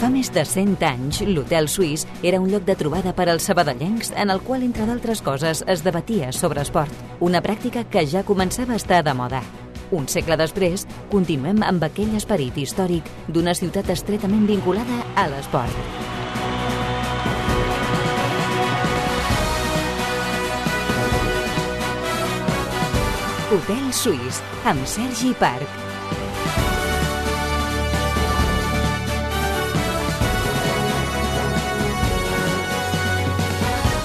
Fa més de 100 anys, l'Hotel Suís era un lloc de trobada per als sabadellencs en el qual, entre d'altres coses, es debatia sobre esport, una pràctica que ja començava a estar de moda. Un segle després, continuem amb aquell esperit històric d'una ciutat estretament vinculada a l'esport. Hotel Suís, amb Sergi Parc.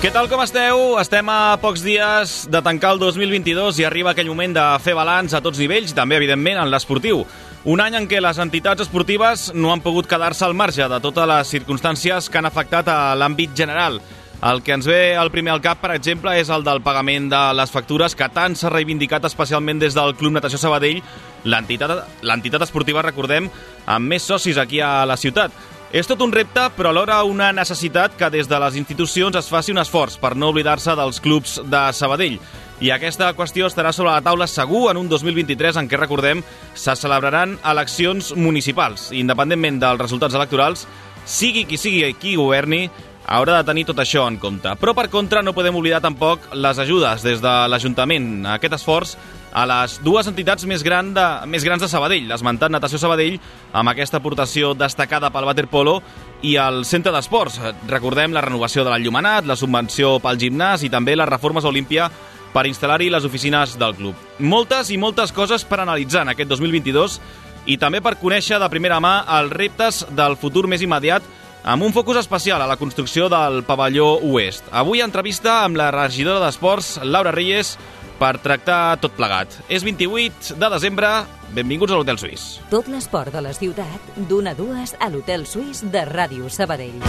Què tal, com esteu? Estem a pocs dies de tancar el 2022 i arriba aquell moment de fer balanç a tots nivells, també, evidentment, en l'esportiu. Un any en què les entitats esportives no han pogut quedar-se al marge de totes les circumstàncies que han afectat a l'àmbit general. El que ens ve al primer al cap, per exemple, és el del pagament de les factures que tant s'ha reivindicat especialment des del Club Natació Sabadell, l'entitat esportiva, recordem, amb més socis aquí a la ciutat. És tot un repte, però alhora una necessitat que des de les institucions es faci un esforç per no oblidar-se dels clubs de Sabadell. I aquesta qüestió estarà sobre la taula segur en un 2023 en què, recordem, se celebraran eleccions municipals. Independentment dels resultats electorals, sigui qui governi, haurà de tenir tot això en compte. Però, per contra, no podem oblidar tampoc les ajudes des de l'Ajuntament. Aquest esforç a les dues entitats més grans de Sabadell, l'esmentat Natació Sabadell, amb aquesta aportació destacada pel waterpolo, i el centre d'esports. Recordem la renovació de l'enllumenat, la subvenció pel gimnàs i també les reformes a Olímpia per instal·lar-hi les oficines del club. Moltes i moltes coses per analitzar en aquest 2022 i també per conèixer de primera mà els reptes del futur més immediat, amb un focus especial a la construcció del pavelló oest. Avui entrevista amb la regidora d'Esports, Laura Reyes, per tractar tot plegat. És 28 de desembre, benvinguts a l'Hotel Suís. Tot l'esport de la ciutat, d'1 a 2 a l'Hotel Suís de Ràdio Sabadell.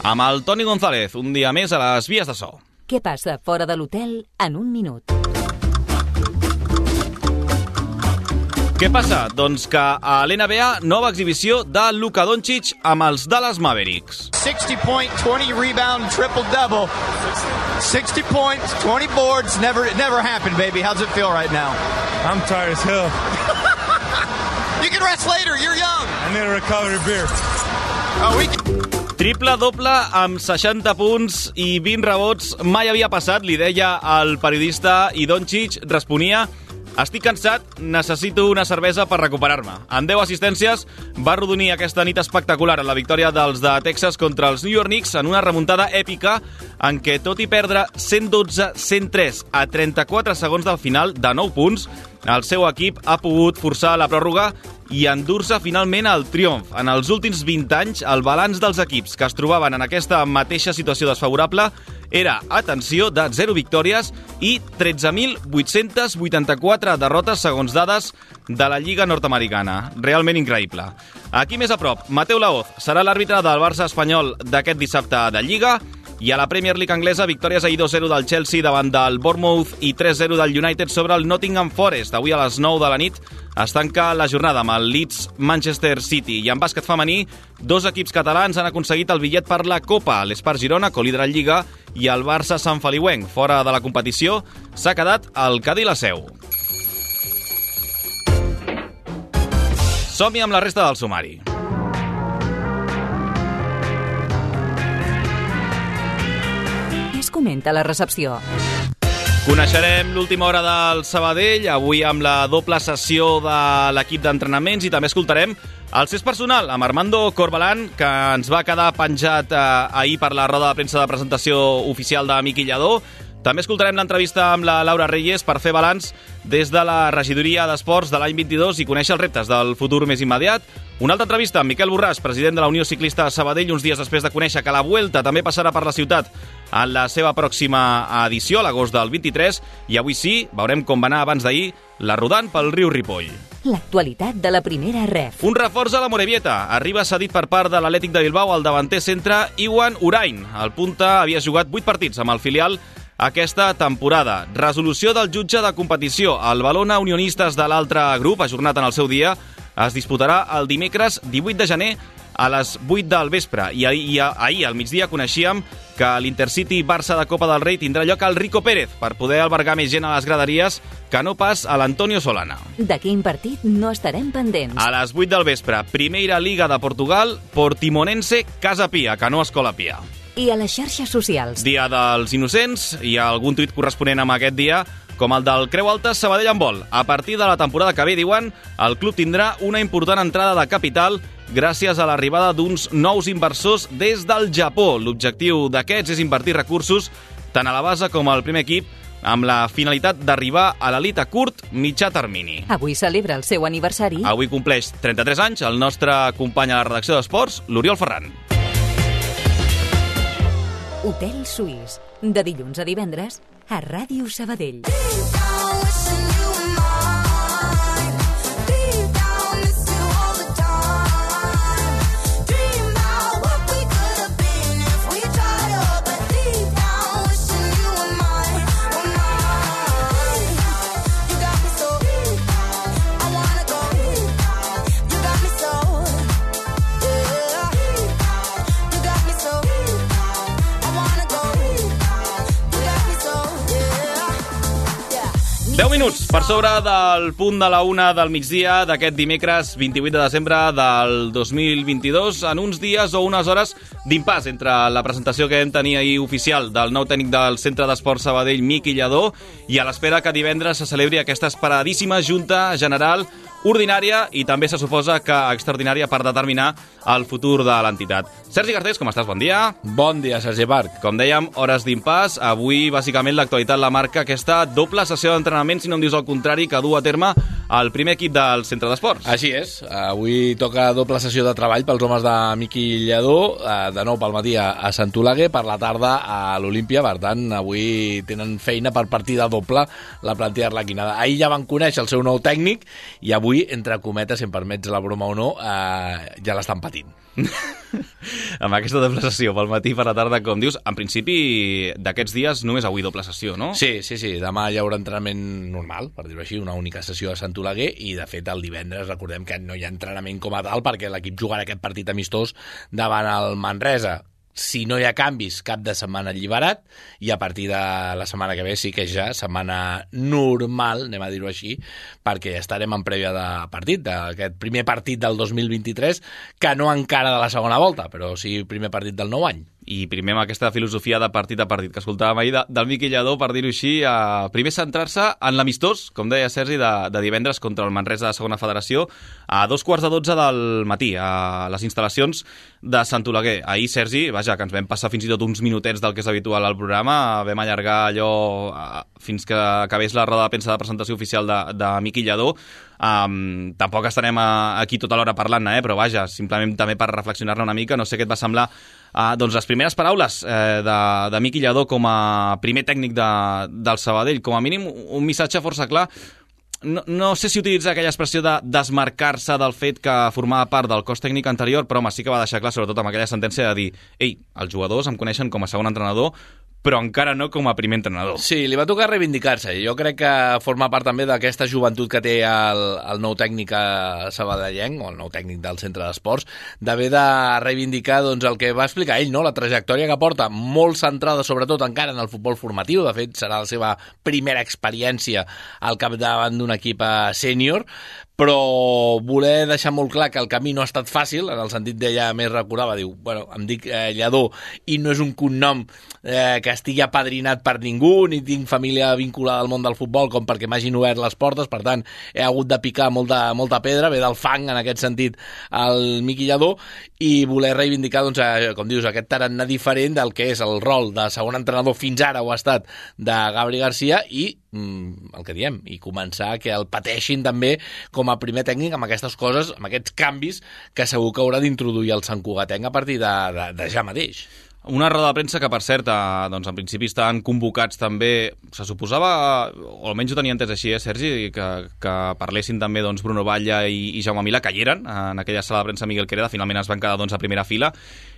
Amb el Toni González, un dia més a les vies de so. Què passa fora de l'hotel en un minut? Què passa? Doncs que a l'NBA, nova exhibició de Luka Doncic amb els Dallas Mavericks. 60 point, 20 rebound, triple-double. 60 points, 20 boards, it never happened, baby. How's it feel right now? I'm tired as hell. You can rest later, you're young. I need to recover a beer. Triple-doble amb 60 punts i 20 rebots. Mai havia passat, li deia el periodista, i Doncic responia: estic cansat, necessito una cervesa per recuperar-me. Amb 10 assistències va arrodonir aquesta nit espectacular en la victòria dels de Texas contra els New York Knicks en una remuntada èpica en què, tot i perdre 112-103 a 34 segons del final de 9 punts, el seu equip ha pogut forçar la pròrroga i endur-se finalment el triomf. En els últims 20 anys, el balanç dels equips que es trobaven en aquesta mateixa situació desfavorable era, atenció, de 0 victòries i 13.884 derrotes segons dades de la Lliga Nord-Americana. Realment increïble. Aquí més a prop, Mateu Laoz serà l'àrbitre del Barça espanyol d'aquest dissabte de Lliga, i a la Premier League anglesa, victòries ahir 2-0 del Chelsea davant del Bournemouth i 3-0 del United sobre el Nottingham Forest. Avui a les 9 de la nit es tanca la jornada amb el Leeds Manchester City. I en bàsquet femení, 2 equips catalans han aconseguit el bitllet per la Copa. L'Espart Girona, colíder en Lliga, i el Barça Sant Feliuenc. Fora de la competició s'ha quedat el Cadí la Seu. Som-hi amb la resta del sumari. Comenta la recepció. Coneixerem l'última hora del Sabadell, avui amb la doble sessió de l'equip d'entrenaments, i també escoltarem el cés personal amb Armando Corbalán, que ens va quedar penjat ahir per la roda de premsa de presentació oficial de Miqui Lladó. També escoltarem l'entrevista amb la Laura Reyes per fer balanç des de la regidoria d'Esports de l'any 22 i conèixer els reptes del futur més immediat. Una altra entrevista amb Miquel Borràs, president de la Unió Ciclista Sabadell, uns dies després de conèixer que la Vuelta també passarà per la ciutat en la seva pròxima edició, a l'agost del 23, i avui sí, veurem com va anar abans d'ahir la rodant pel riu Ripoll. L'actualitat de la primera ref. Un reforç a la Morevieta. Arriba cedit per part de l'Atlètic de Bilbao al davanter centre Iwan Urain. El punta havia jugat 8 partits amb el filial aquesta temporada. Resolució del jutge de competició. El Valona Unionistes de l'altre grup, ajornat en el seu dia, es disputarà el dimecres 18 de gener a les 8 del vespre. I ahir al migdia coneixíem que l'Intercity Barça de Copa del Rei tindrà lloc al Rico Pérez per poder albergar més gent a les graderies que no pas a l'Antonio Solana. De quin partit no estarem pendents? A les 8 del vespre, Primera Liga de Portugal, Portimonense, Casa Pia, que no Escola Pia. I a les xarxes socials? Dia dels Innocents, hi ha algun tuit corresponent amb aquest dia, com el del Creu Alta Sabadell Handbol. A partir de la temporada que ve, diuen, el club tindrà una important entrada de capital gràcies a l'arribada d'uns nous inversors des del Japó. L'objectiu d'aquests és invertir recursos tant a la base com al primer equip amb la finalitat d'arribar a l'elit a curt mitjà termini. Avui celebra el seu aniversari. Avui compleix 33 anys el nostre company a la redacció d'Esports, l'Oriol Ferran. Hotel Suís, de dilluns a divendres, a Ràdio Sabadell. Minuts per sobre del punt de la 1 del migdia d'aquest dimecres 28 de desembre del 2022, en uns dies o unes hores d'impàs entre la presentació que vam tenir ahir oficial del nou tècnic del Centre d'Esports Sabadell, Miqui Lladó, i a l'espera que divendres se celebri aquesta esperadíssima Junta General ordinària i també se suposa que extraordinària per determinar el futur de l'entitat. Sergi Garcés, com estàs? Bon dia. Bon dia, Sergi Parc. Com dèiem, hores d'impàs. Avui, bàsicament, l'actualitat la marca aquesta doble sessió d'entrenament, si no em dius el contrari, que du a terme el primer equip del Centre d'Esports. Així és. Avui toca doble sessió de treball pels homes de Miqui Lladó, de nou pel matí a Sant Oleguer, per la tarda a l'Olímpia. Per tant, avui tenen feina per partida doble la plantilla arlequinada. Ahir ja van conèixer el seu nou tècnic i avui, entre cometes, si em permets la broma o no, ja l'estan patint. Amb aquesta doble sessió pel matí per la tarda, com dius, en principi d'aquests dies només avui doble sessió, no? Sí. Demà hi haurà entrenament normal, per dir-ho així, una única sessió a Sant Oleguer, i de fet el divendres recordem que no hi ha entrenament com a tal perquè l'equip jugarà aquest partit amistós davant el Manresa. Si no hi ha canvis, cap de setmana alliberat, i a partir de la setmana que ve sí que ja setmana normal, anem a dir-ho així, perquè estarem en prèvia de partit, d'aquest primer partit del 2023, que no encara de la segona volta, però sí primer partit del nou any. I primer amb aquesta filosofia de partit a partit que escoltàvem ahir del Miqui Lladó, per dir-ho així, primer centrar-se en l'amistós, com deia Sergi, de divendres contra el Manresa de segona federació a 2:15 del matí a les instal·lacions de Sant Oleguer. Ahir, Sergi, vaja, que ens vam passar fins i tot uns minutets del que és habitual al programa, vam allargar allò fins que acabés la roda de premsa de presentació oficial de Miqui Lladó. Tampoc estarem aquí tota l'hora parlant-ne, però vaja, simplement també per reflexionar-ne una mica. No sé què et va semblar doncs les primeres paraules de Miqui Lladó com a primer tècnic del Sabadell. Com a mínim un missatge força clar. No sé si utilitzar aquella expressió de desmarcar-se del fet que formava part del cos tècnic anterior, però home, sí que va deixar clar, sobretot amb aquella sentència de dir ei, els jugadors em coneixen com a segon entrenador, però encara no com a primer entrenador. Sí, li va tocar reivindicar-se. Jo crec que forma part també d'aquesta joventut que té el nou tècnic sabadellenc, o el nou tècnic del Centre d'Esports, d'haver de reivindicar doncs, el que va explicar ell, no? La trajectòria que porta, molt centrada sobretot encara en el futbol formatiu. De fet, serà la seva primera experiència al capdavant d'un equip sènior, però voler deixar molt clar que el camí no ha estat fàcil, en el sentit d'ella més recordava, diu, bueno, em dic Lladó i no és un cognom que estigui apadrinat per ningú, ni tinc família vinculada al món del futbol com perquè m'hagin obert les portes, per tant he hagut de picar molta pedra, ve del fang en aquest sentit el Miqui Lladó, i voler reivindicar, doncs, com dius, aquest tarannà diferent del que és el rol de segon entrenador, fins ara ho ha estat, de Gabri Garcia, i el que diem, i començar que el pateixin també com a primer tècnic amb aquestes coses, amb aquests canvis que segur que haurà d'introduir el Sant Cugatenc a partir de ja mateix. Una roda de premsa que, per cert, doncs, en principi estaven convocats també, se suposava, o almenys ho tenia entès així, Sergi, que parlessin també doncs, Bruno Batlle i Jaume Milà, que hi eren en aquella sala de premsa Miguel Quereda, finalment es van quedar doncs, a primera fila,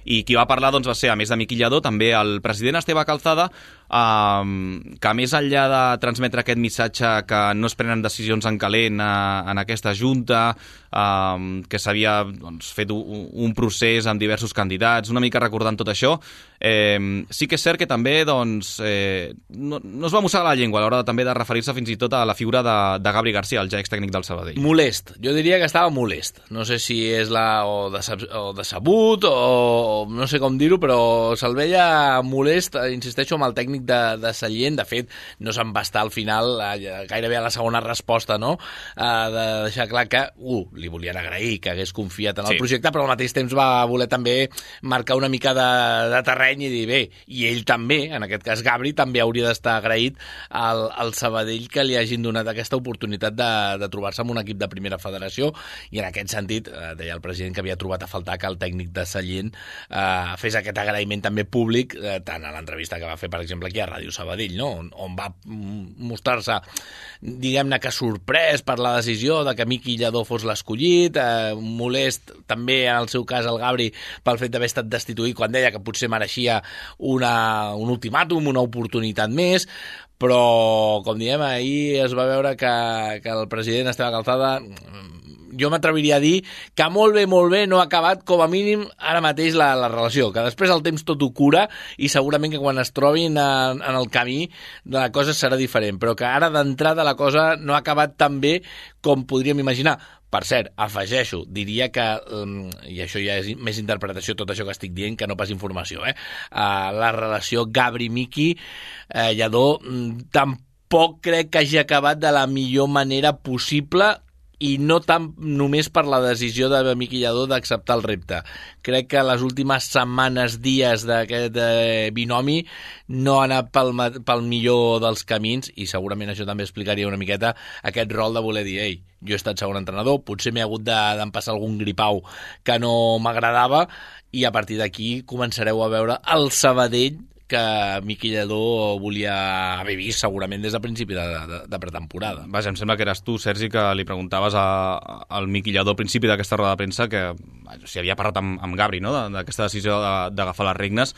i qui va parlar doncs, va ser, a més de Miqui Lladó, també el president Esteve Calzada, que més enllà de transmetre aquest missatge que no es prenen decisions en calent en aquesta junta, que s'havia fet un procés amb diversos candidats, una mica recordant tot això, sí que és cert que també no es va mossegar la llengua a l'hora també de referir-se fins i tot a la figura de Gabri García, el ja extècnic del Sabadell. Molest, jo diria que estava molest. No sé si és o decebut o no sé com dir-ho, però se'l veia molest, insisteixo, amb el tècnic de Sallent. De fet, no se'n va estar al final, gairebé a la segona resposta, no? De deixar clar que, li volien agrair que hagués confiat en el projecte, però al mateix temps va voler també marcar una mica de terreny i dir, bé, i ell també, en aquest cas Gabri, també hauria d'estar agraït al Sabadell que li hagin donat aquesta oportunitat de trobar-se amb un equip de primera federació, i en aquest sentit, deia el president que havia trobat a faltar que el tècnic de Sallent fes aquest agraïment també públic, tant a l'entrevista que va fer, per exemple, aquí a Ràdio Sabadell, no? On va mostrar-se, diguem-ne que sorprès per la decisió de que Miqui Lladó fos l'escollit, molest també en el seu cas el Gabri pel fet d'haver estat destituït quan deia que potser mereixia un ultimàtum, una oportunitat més, però, com diem, ahir es va veure que el president Esteve Calzada, jo m'atreviria a dir que molt bé no ha acabat, com a mínim, ara mateix la relació, que després el temps tot ho cura i segurament que quan es trobin en el camí la cosa serà diferent, però que ara d'entrada la cosa no ha acabat tan bé com podríem imaginar. Per cert, afegeixo, diria que, i això ja és més interpretació, tot això que estic dient, que no pas informació, la relació Gabri-Miqui Lladó tampoc crec que hagi acabat de la millor manera possible, i no tant només per la decisió de Miqui Lladó d'acceptar el repte. Crec que les últimes setmanes, dies d'aquest binomi no ha anat pel millor dels camins, i segurament això també explicaria una miqueta aquest rol de voler dir, ei, jo he estat segon entrenador, potser m'he hagut d'empassar algun gripau que no m'agradava, i a partir d'aquí començareu a veure el Sabadell que Miqui Lladó volia haver vist segurament des de principi de pretemporada. Vaja, em sembla que eres tu, Sergi, que li preguntaves al Miqui Lladó al principi d'aquesta roda de premsa que si havia parlat amb Gabri, no?, d'aquesta decisió d'agafar les regnes.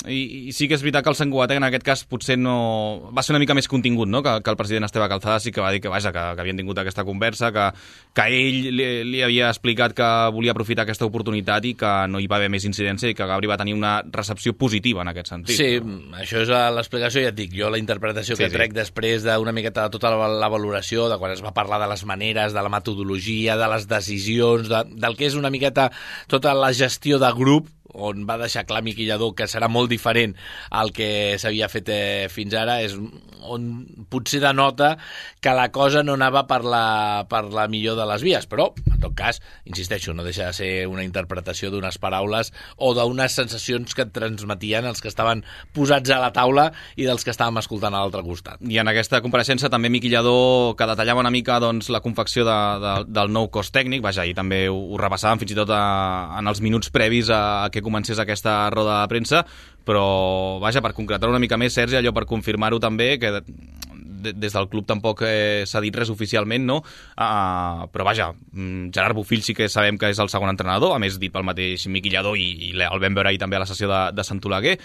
I sí que és veritat que el Sant Cugatenc en aquest cas potser no... va ser una mica més contingut, no?, que el president Esteve Calzada sí que va dir que havien tingut aquesta conversa, que ell li havia explicat que volia aprofitar aquesta oportunitat i que no hi va haver més incidència i que Gabri va tenir una recepció positiva en aquest sentit. Sí, això és l'explicació, ja et dic, jo la interpretació que trec després d'una miqueta de tota la valoració, de quan es va parlar de les maneres, de la metodologia, de les decisions, del que és una miqueta tota la gestió de grup, on va deixar clar Miqui Lladó que serà molt diferent al que s'havia fet fins ara, és on potser denota que la cosa no anava per la millor de les vies, però en tot cas, insisteixo, no deixa de ser una interpretació d'unes paraules o d'unes sensacions que et transmetien els que estaven posats a la taula i dels que estàvem escoltant a l'altre costat. I en aquesta compareixença també Miqui Lladó, que detallava una mica la confecció del nou cos tècnic, vaja, i també ho repassàvem fins i tot en els minuts previs a que comencés aquesta roda de premsa, però vaja, per concretar una mica més, Sergi, allò per confirmar-ho també, que des del club tampoc s'ha dit res oficialment, no? Però vaja, Gerard Bofill sí que sabem que és el segon entrenador, a més dit pel mateix Miqui Lladó, i el vam veure ahir també a la sessió de Sant Oleguer.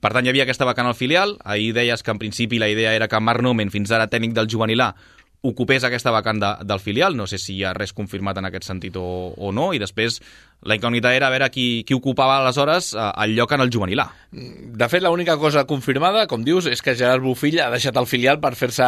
Per tant, hi havia aquesta vacant al filial. Ahir deies que en principi la idea era que Marc Nomen, fins ara tècnic del juvenil A, ocupés aquesta vacant del filial. No sé si hi ha res confirmat en aquest sentit o no, i després la incògnita era a veure qui ocupava aleshores el lloc en el juvenil A. De fet, l'única cosa confirmada, com dius, és que Gerard Bofill ha deixat el filial per fer-se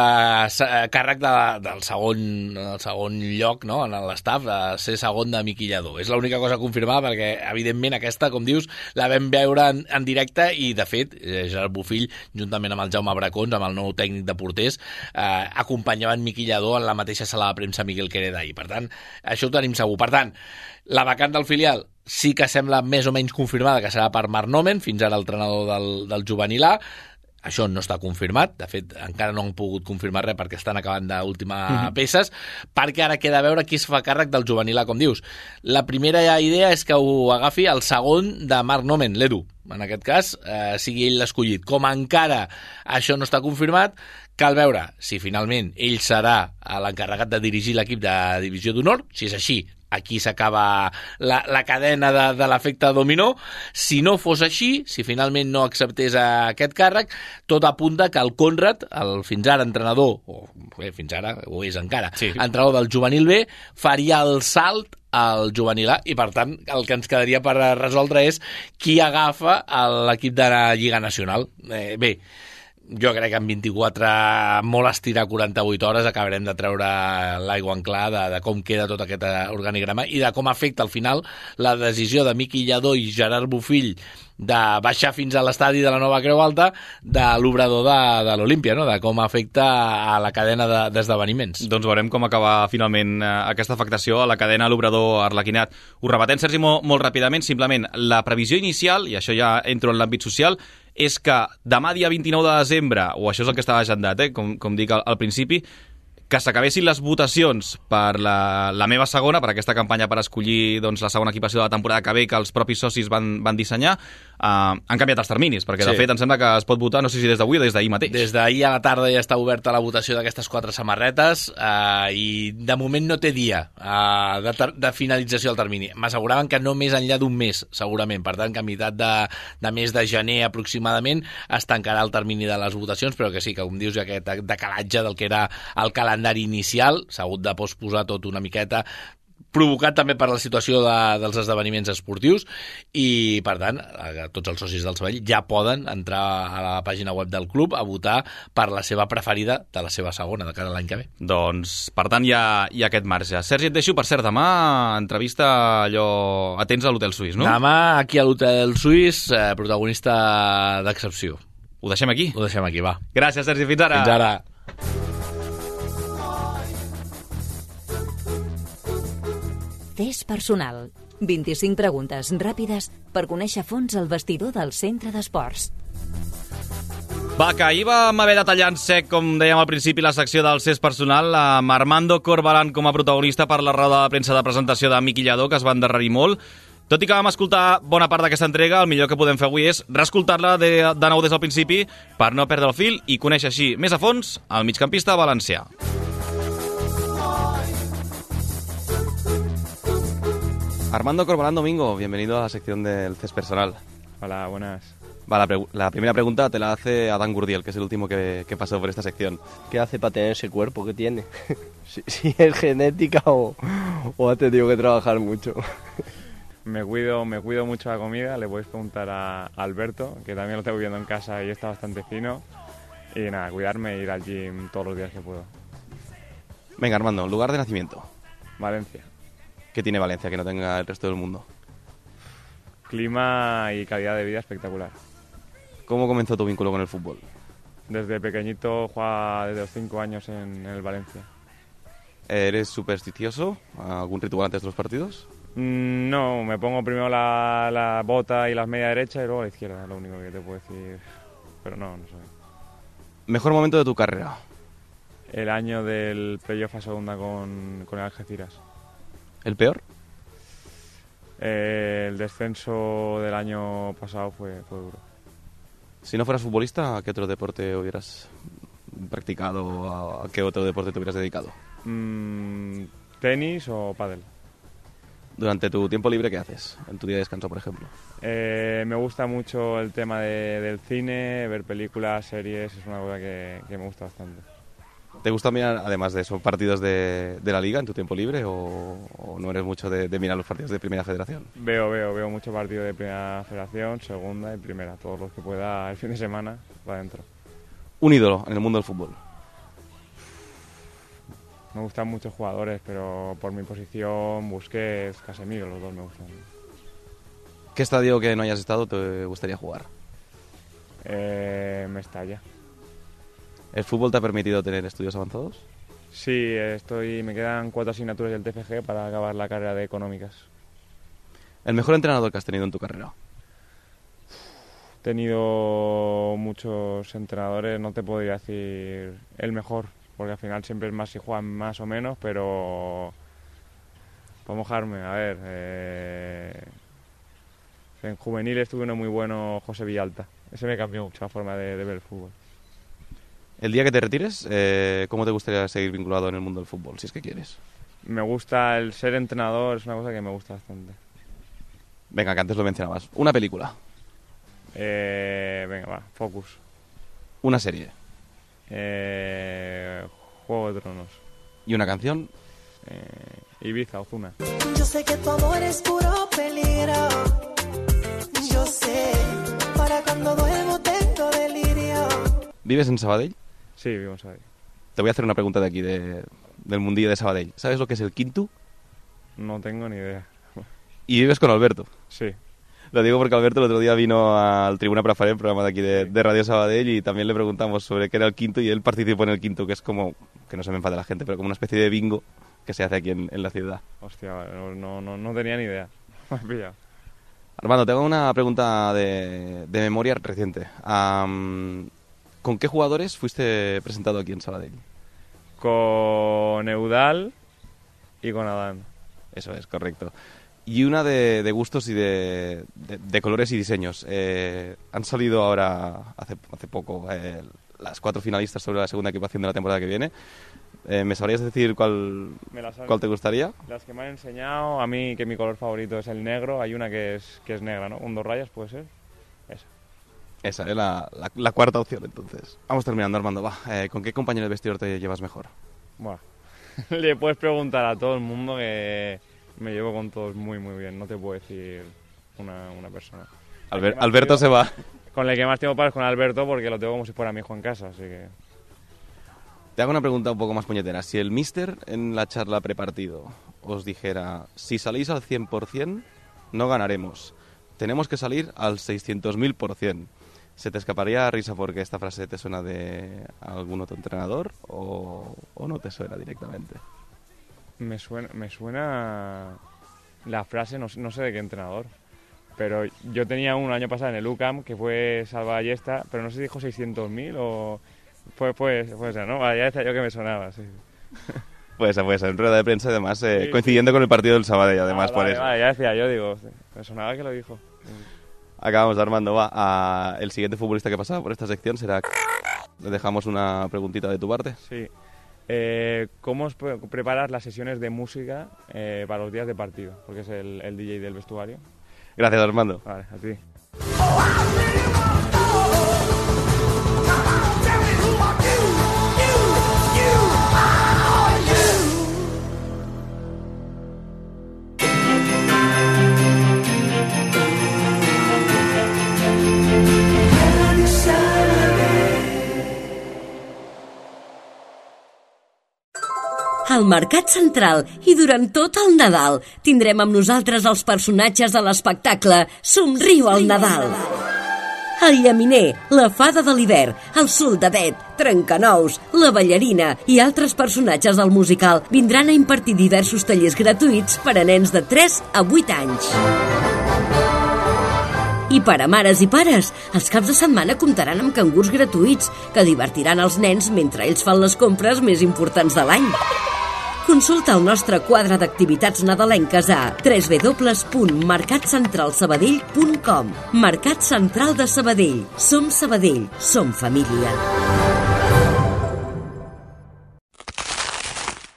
càrrec del segon lloc, no?, en l'estaf, de ser segon de Miqui Lladó. És l'única cosa confirmada perquè, evidentment, aquesta, com dius, la vam veure en directe i, de fet, Gerard Bofill, juntament amb el Jaume Bracons, amb el nou tècnic de porters, acompanyaven Miqui Lladó en la mateixa sala de premsa Miguel Quereda ahir. Per tant, això ho tenim segur. Per tant, la vacant del filial sí que sembla més o menys confirmada que serà per Marc Nomen, fins ara el entrenador del juvenil A. Això no està confirmat, de fet encara no han pogut confirmar res perquè estan acabant d'ultimar peces, perquè ara queda a veure qui es fa càrrec del juvenil A, com dius. La primera idea és que ho agafi el segon de Marc Nomen, l'Edu, en aquest cas, sigui ell l'escollit. Com encara això no està confirmat, cal veure si finalment ell serà l'encarregat de dirigir l'equip de divisió d'honor. Si és així, aquí s'acaba la cadena de l'efecte dominó. Si no fos així, si finalment no acceptés aquest càrrec, tot apunta que el Conrad, el fins ara entrenador, fins ara ho és encara, entrenador del juvenil B, faria el salt al juvenil A, i per tant el que ens quedaria per resoldre és qui agafa l'equip de la Lliga Nacional. Bé, jo crec que en 24, molt estirar 48 hores, acabarem de treure l'aigua en clar de com queda tot aquest organigrama i de com afecta al final la decisió de Miqui Lladó i Gerard Bofill de baixar fins a l'estadi de la Nova Creu Alta de l'obrador de l'Olímpia, no? De com afecta a la cadena d'esdeveniments. Doncs veurem com acaba finalment aquesta afectació a la cadena a l'obrador arlequinat. Ho repetem, Sergi, molt ràpidament. Simplement, la previsió inicial, i això ja entro en l'àmbit social, és que demà dia 29 de desembre, o això és el que estava agendat, com dic al principi, que s'acabessin les votacions per la meva segona, per aquesta campanya per escollir la segona equipació de la temporada que ve, que els propis socis van dissenyar. Han canviat els terminis, perquè de fet em sembla que es pot votar, no sé si des d'avui o des d'ahir mateix. Des d'ahir a la tarda ja està oberta la votació d'aquestes 4 samarretes i de moment no té dia de finalització del termini. M'asseguraven que no més enllà d'un mes, segurament. Per tant, que a meitat de mes de gener aproximadament es tancarà el termini de les votacions, però que sí, que com dius, aquest decalatge del que era el calendari inicial s'ha hagut de posposar tot una miqueta, provocat també per la situació dels esdeveniments esportius, i per tant tots els socis del Sabadell ja poden entrar a la pàgina web del club a votar per la seva preferida de la seva segona de cara a l'any que ve. Doncs per tant hi ha aquest marge. Sergi, et deixo, per cert, demà entrevista allò atents a l'Hotel Suís, no? Demà aquí a l'Hotel Suís, protagonista d'excepció. Ho deixem aquí? Ho deixem aquí, va. Gràcies, Sergi, fins ara. Fins ara. Test personal. 25 preguntes ràpides per conèixer a fons el vestidor del centre d'esports. Va, que ahir vam haver de tallar en sec, com dèiem al principi, la secció del test personal, amb Armando Corbalán com a protagonista per la roda de premsa de presentació de Miqui Lladó, que es va endarrerir molt. Tot i que vam escoltar bona part d'aquesta entrega, el millor que podem fer avui és reescoltar-la de nou des del principi per no perdre el fil i conèixer així més a fons el migcampista valencià. Armando Corbalán Domingo, bienvenido a la sección del test personal. Hola, buenas. Va, la primera pregunta te la hace Adán Gurdiel, que es el último que pasó por esta sección. ¿Qué hace para tener ese cuerpo que tiene? si es genética o ha tenido que trabajar mucho. Me cuido mucho la comida, le podéis preguntar a Alberto, que también lo tengo viendo en casa y está bastante fino. Y nada, cuidarme e ir al gym todos los días que puedo. Venga, Armando, lugar de nacimiento. Valencia. ¿Qué tiene Valencia que no tenga el resto del mundo? Clima y calidad de vida espectacular. ¿Cómo comenzó tu vínculo con el fútbol? Desde pequeñito jugaba desde los 5 años en el Valencia. ¿Eres supersticioso? ¿Algún ritual antes de los partidos? No, me pongo primero la bota y las medias derecha y luego la izquierda, es lo único que te puedo decir. Pero no sé. ¿Mejor momento de tu carrera? El año del playoff a segunda con el Algeciras. ¿El peor? El descenso del año pasado fue duro. Si no fueras futbolista, ¿a qué otro deporte hubieras practicado? ¿A qué otro deporte te hubieras dedicado? ¿Tenis o pádel? Durante tu tiempo libre, ¿qué haces? En tu día de descanso, por ejemplo. Me gusta mucho el tema del cine, ver películas, series, es una cosa que me gusta bastante. ¿Te gusta mirar, además de esos partidos de la Liga en tu tiempo libre o no eres mucho de mirar los partidos de Primera Federación? Veo muchos partidos de Primera Federación, Segunda y Primera, todos los que pueda el fin de semana para adentro. ¿Un ídolo en el mundo del fútbol? Me gustan muchos jugadores, pero por mi posición, Busquets, Casemiro, los dos me gustan. ¿Qué estadio que no hayas estado te gustaría jugar? Mestalla. ¿El fútbol te ha permitido tener estudios avanzados? Sí, me quedan 4 asignaturas del TFG para acabar la carrera de Económicas. ¿El mejor entrenador que has tenido en tu carrera? He tenido muchos entrenadores, no te podría decir el mejor, porque al final siempre es más si juegan más o menos, pero para mojarme, a ver, en juveniles tuve uno muy bueno, José Villalta. Ese me cambió mucho la forma de ver el fútbol. El día que te retires, ¿cómo te gustaría seguir vinculado en el mundo del fútbol, si es que quieres? Me gusta el ser entrenador, es una cosa que me gusta bastante. Venga, que antes lo mencionabas. Una película. Venga, va, Focus. Una serie. Juego de Tronos. ¿Y una canción? Ibiza, Ozuna. Yo sé que tu amor es puro peligro. Yo sé, para cuando duermo tengo delirio. ¿Vives en Sabadell? Sí, vivo en Sabadell. Te voy a hacer una pregunta de aquí, del mundillo de Sabadell. ¿Sabes lo que es el quinto? No tengo ni idea. ¿Y vives con Alberto? Sí. Lo digo porque Alberto el otro día vino al Tribuna Prafaré, el programa de aquí de Radio Sabadell, y también le preguntamos sobre qué era el quinto y él participó en el quinto, que es como, que no se me enfade la gente, pero como una especie de bingo que se hace aquí en la ciudad. Hostia, no tenía ni idea. Me has pillado. Armando, te hago una pregunta de memoria reciente. ¿Con qué jugadores fuiste presentado aquí en Sabadell? Con Eudal y con Adán. Eso es, correcto. Y una de gustos y de colores y diseños. Han salido ahora, hace poco, las 4 finalistas sobre la segunda equipación de la temporada que viene. ¿Me sabrías decir cuál te gustaría? Las que me han enseñado, a mí que mi color favorito es el negro. Hay una que es negra, ¿no? Con 2 rayas, ¿puede ser? Esa es la cuarta opción, entonces. Vamos terminando, Armando. Va, ¿con qué compañero de vestidor te llevas mejor? Buah. Le puedes preguntar a todo el mundo, que me llevo con todos muy, muy bien. No te puedo decir una persona. Alberto se va. Con el que más tengo es con Alberto, porque lo tengo como si fuera mi hijo en casa, así que... Te hago una pregunta un poco más puñetera. Si el míster en la charla prepartido os dijera, si salís al 100%, no ganaremos. Tenemos que salir al 600.000%. ¿Se te escaparía risa porque esta frase te suena de algún otro entrenador o no te suena directamente? Me suena la frase, no sé de qué entrenador, pero yo tenía un año pasado en el UCAM que fue Salva Ballesta, pero no sé si dijo 600.000 o... Puede ser, ¿no? Ya decía yo que me sonaba, sí. Puede ser, en rueda de prensa, además, sí. Coincidiendo con el partido del Sabadell, además, por eso. Vale, ya decía yo, digo, me sonaba que lo dijo. Acabamos, Armando, va. El siguiente futbolista que pasaba por esta sección será... Le dejamos una preguntita de tu parte. Sí. ¿Cómo preparas las sesiones de música para los días de partido? Porque es el DJ del vestuario. Gracias, Armando. Vale, a ti. Al Mercat Central i durant tot el Nadal tindrem amb nosaltres els personatges de l'espectacle Somriu al Nadal. El llaminer, la fada de l'hivern, el soldadet, Trencanous, la ballarina i altres personatges del musical vindran a impartir diversos tallers gratuïts per a nens de 3 a 8 anys. I per a mares i pares, els caps de setmana comptaran amb cangurs gratuïts que divertiran els nens mentre ells fan les compres més importants de l'any. Consulta el nostre quadre d'activitats nadalenques a www.mercatcentralsabadell.com. Mercat Central de Sabadell. Som Sabadell. Som família.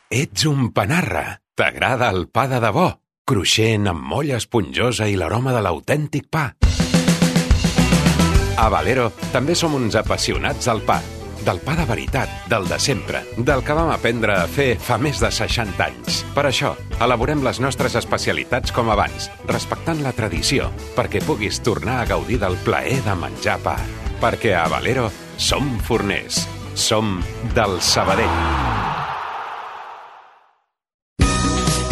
Ets un panarra. T'agrada el pa de debò? Cruixent, amb molla esponjosa i l'aroma de l'autèntic pa. A Valero també som uns apassionats del pa. Del pa de veritat, del de sempre, del que vam aprendre a fer fa més de 60 anys. Per això, elaborem les nostres especialitats com abans, respectant la tradició, perquè puguis tornar a gaudir del plaer de menjar pa. Perquè a Valero som forners, som del Sabadell.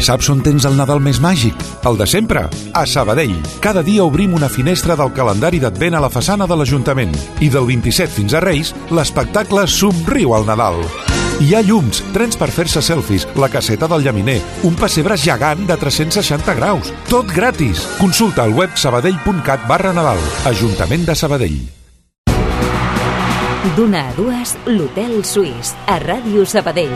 Saps on tens el Nadal més màgic? El de sempre, a Sabadell. Cada dia obrim una finestra del calendari d'Advent a la façana de l'Ajuntament. I del 27 fins a Reis, l'espectacle Somriu al Nadal. Hi ha llums, trens per fer-se selfies, la caseta del llaminer, un pessebre gegant de 360 graus. Tot gratis. Consulta al web sabadell.cat/Nadal. Ajuntament de Sabadell. D'una a dues, l'Hotel Suís, a Ràdio Sabadell.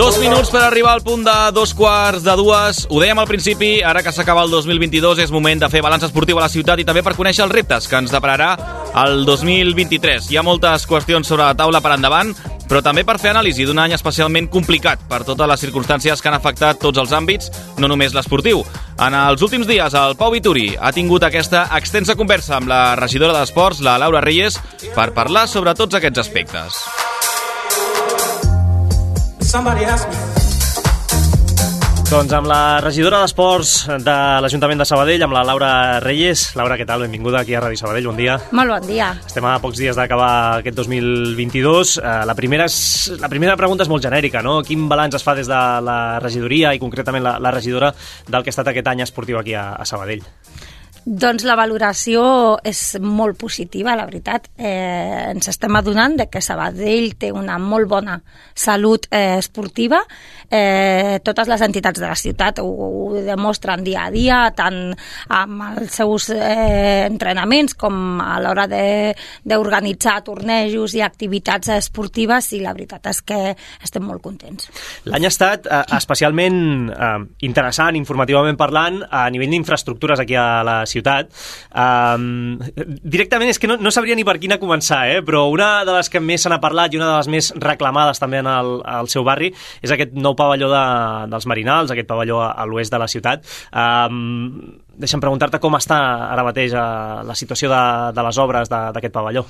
2 minuts per arribar al punt de 2:45. Ho dèiem al principi, ara que s'acaba el 2022 és moment de fer balanç esportiu a la ciutat i també per conèixer els reptes que ens depararà el 2023. Hi ha moltes qüestions sobre la taula per endavant, però també per fer anàlisi d'un any especialment complicat per totes les circumstàncies que han afectat tots els àmbits, no només l'esportiu. En els últims dies, el Pau Vituri ha tingut aquesta extensa conversa amb la regidora d'Esports, la Laura Reyes, per parlar sobre tots aquests aspectes. Doncs amb la regidora d'Esports de l'Ajuntament de Sabadell, amb la Laura Reyes. Laura, què tal? Benvinguda aquí a Ràdio Sabadell, bon dia. Molt bon dia. Estem a pocs dies d'acabar aquest 2022. La primera pregunta és molt genèrica, no? Quin balanç es fa des de la regidoria i concretament la regidora del que ha estat aquest any esportiu aquí a Sabadell? Doncs la valoració és molt positiva, la veritat. Ens estem adonant de que Sabadell té una molt bona salut esportiva. Totes les entitats de la ciutat ho demostren dia a dia, tant amb els seus entrenaments com a l'hora d'organitzar tornejos i activitats esportives, i la veritat és que estem molt contents. L'any ha estat especialment interessant, informativament parlant, a nivell d'infraestructures aquí a la ciutat. Directament és que no sabria ni per quina començar, però una de les que més se n'ha parlat i una de les més reclamades també al seu barri és aquest nou pavelló dels Marinals, aquest pavelló a l'oest de la ciutat. Deixa'm preguntar-te com està ara mateix la situació de les obres d'aquest pavelló.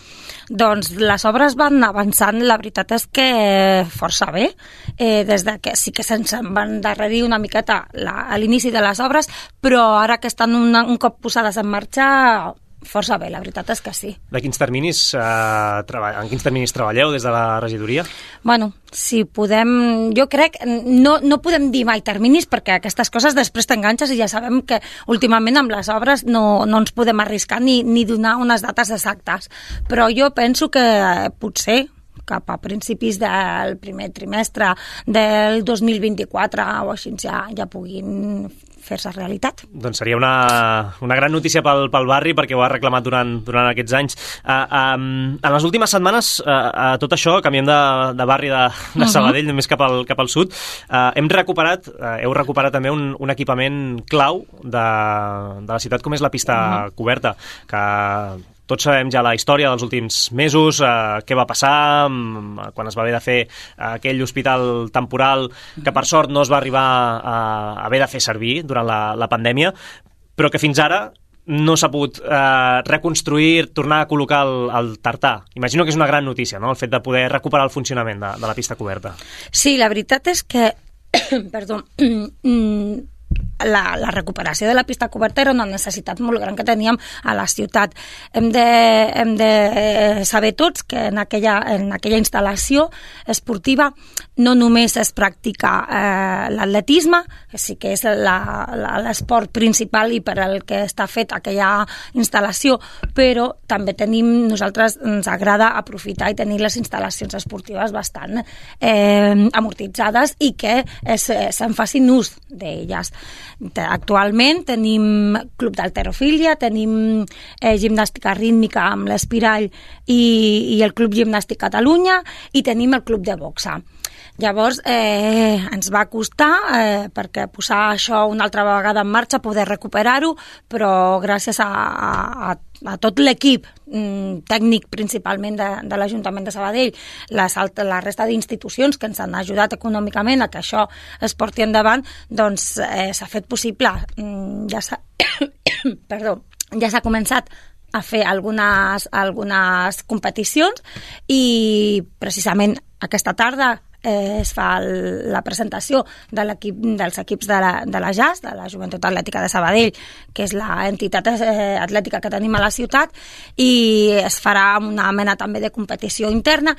Doncs les obres van avançant, la veritat és que força bé, des de que sí que se'ns va endarrerir una miqueta a l'inici de les obres, però ara que estan un cop posades en marxa, força bé, la veritat és que sí. En quins terminis treballeu des de la regidoria? Bueno, si podem... Jo crec... No podem dir mai terminis perquè aquestes coses després t'enganxes i ja sabem que últimament amb les obres no ens podem arriscar ni donar unes dates exactes. Però jo penso que potser cap a principis del primer trimestre del 2024 o així ja puguin fer-se realitat. Doncs seria una gran notícia pel barri perquè ho ha reclamat durant aquests anys. En les últimes setmanes, tot això, canviem de barri de Sabadell, només cap al sud, heu recuperat també un equipament clau de la ciutat com és la pista coberta, que tots sabem ja la història dels últims mesos, què va passar quan es va haver de fer aquell hospital temporal que per sort no es va arribar a haver de fer servir durant la pandèmia, però que fins ara no s'ha pogut reconstruir, tornar a col·locar el tartà. Imagino que és una gran notícia, no?, el fet de poder recuperar el funcionament de la pista coberta. Sí, la veritat és que perdó, la recuperació de la pista coberta era una necessitat molt gran que teníem a la ciutat. Hem de saber tots que en aquella instal·lació esportiva no només es practica l'atletisme, que sí que és l'esport principal i per al que està fet aquella instal·lació, però també nosaltres ens agrada aprofitar i tenir les instal·lacions esportives bastant amortitzades i que se'n facin ús d'elles. Actualment tenim club d'halterofília, tenim gimnàstica rítmica amb l'Espirall i el Club Gimnàstic Catalunya, i tenim el club de boxa. Llavors ens va costar perquè posar això una altra vegada en marxa, poder recuperar-ho, però gràcies a tot l'equip tècnic principalment de l'Ajuntament de Sabadell, la resta d'institucions que ens han ajudat econòmicament a que això es porti endavant, doncs s'ha fet possible. Ja s'ha començat a fer algunes competicions i precisament aquesta tarda es fa la presentació dels equips de la JAS, de la Joventut Atlètica de Sabadell, que és l'entitat atlètica que tenim a la ciutat, i es farà una mena també de competició interna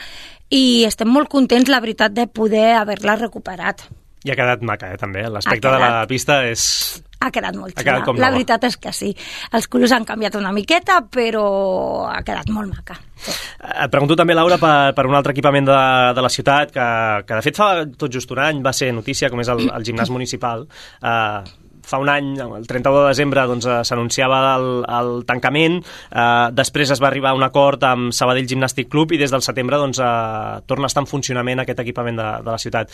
i estem molt contents, la veritat, de poder haver-la recuperat. I ha quedat maca, també. L'aspecte de la pista ha quedat molt xula. La veritat és que sí. Els colors han canviat una miqueta, però ha quedat molt maca. Et pregunto també, Laura, per un altre equipament de la ciutat que de fet fa tot just un any va ser notícia, com és el gimnàs municipal. fa un any, el 31 de desembre, doncs, s'anunciava el tancament, després es va arribar a un acord amb Sabadell Gimnàstic Club i des del setembre doncs, torna a estar en funcionament aquest equipament de la ciutat.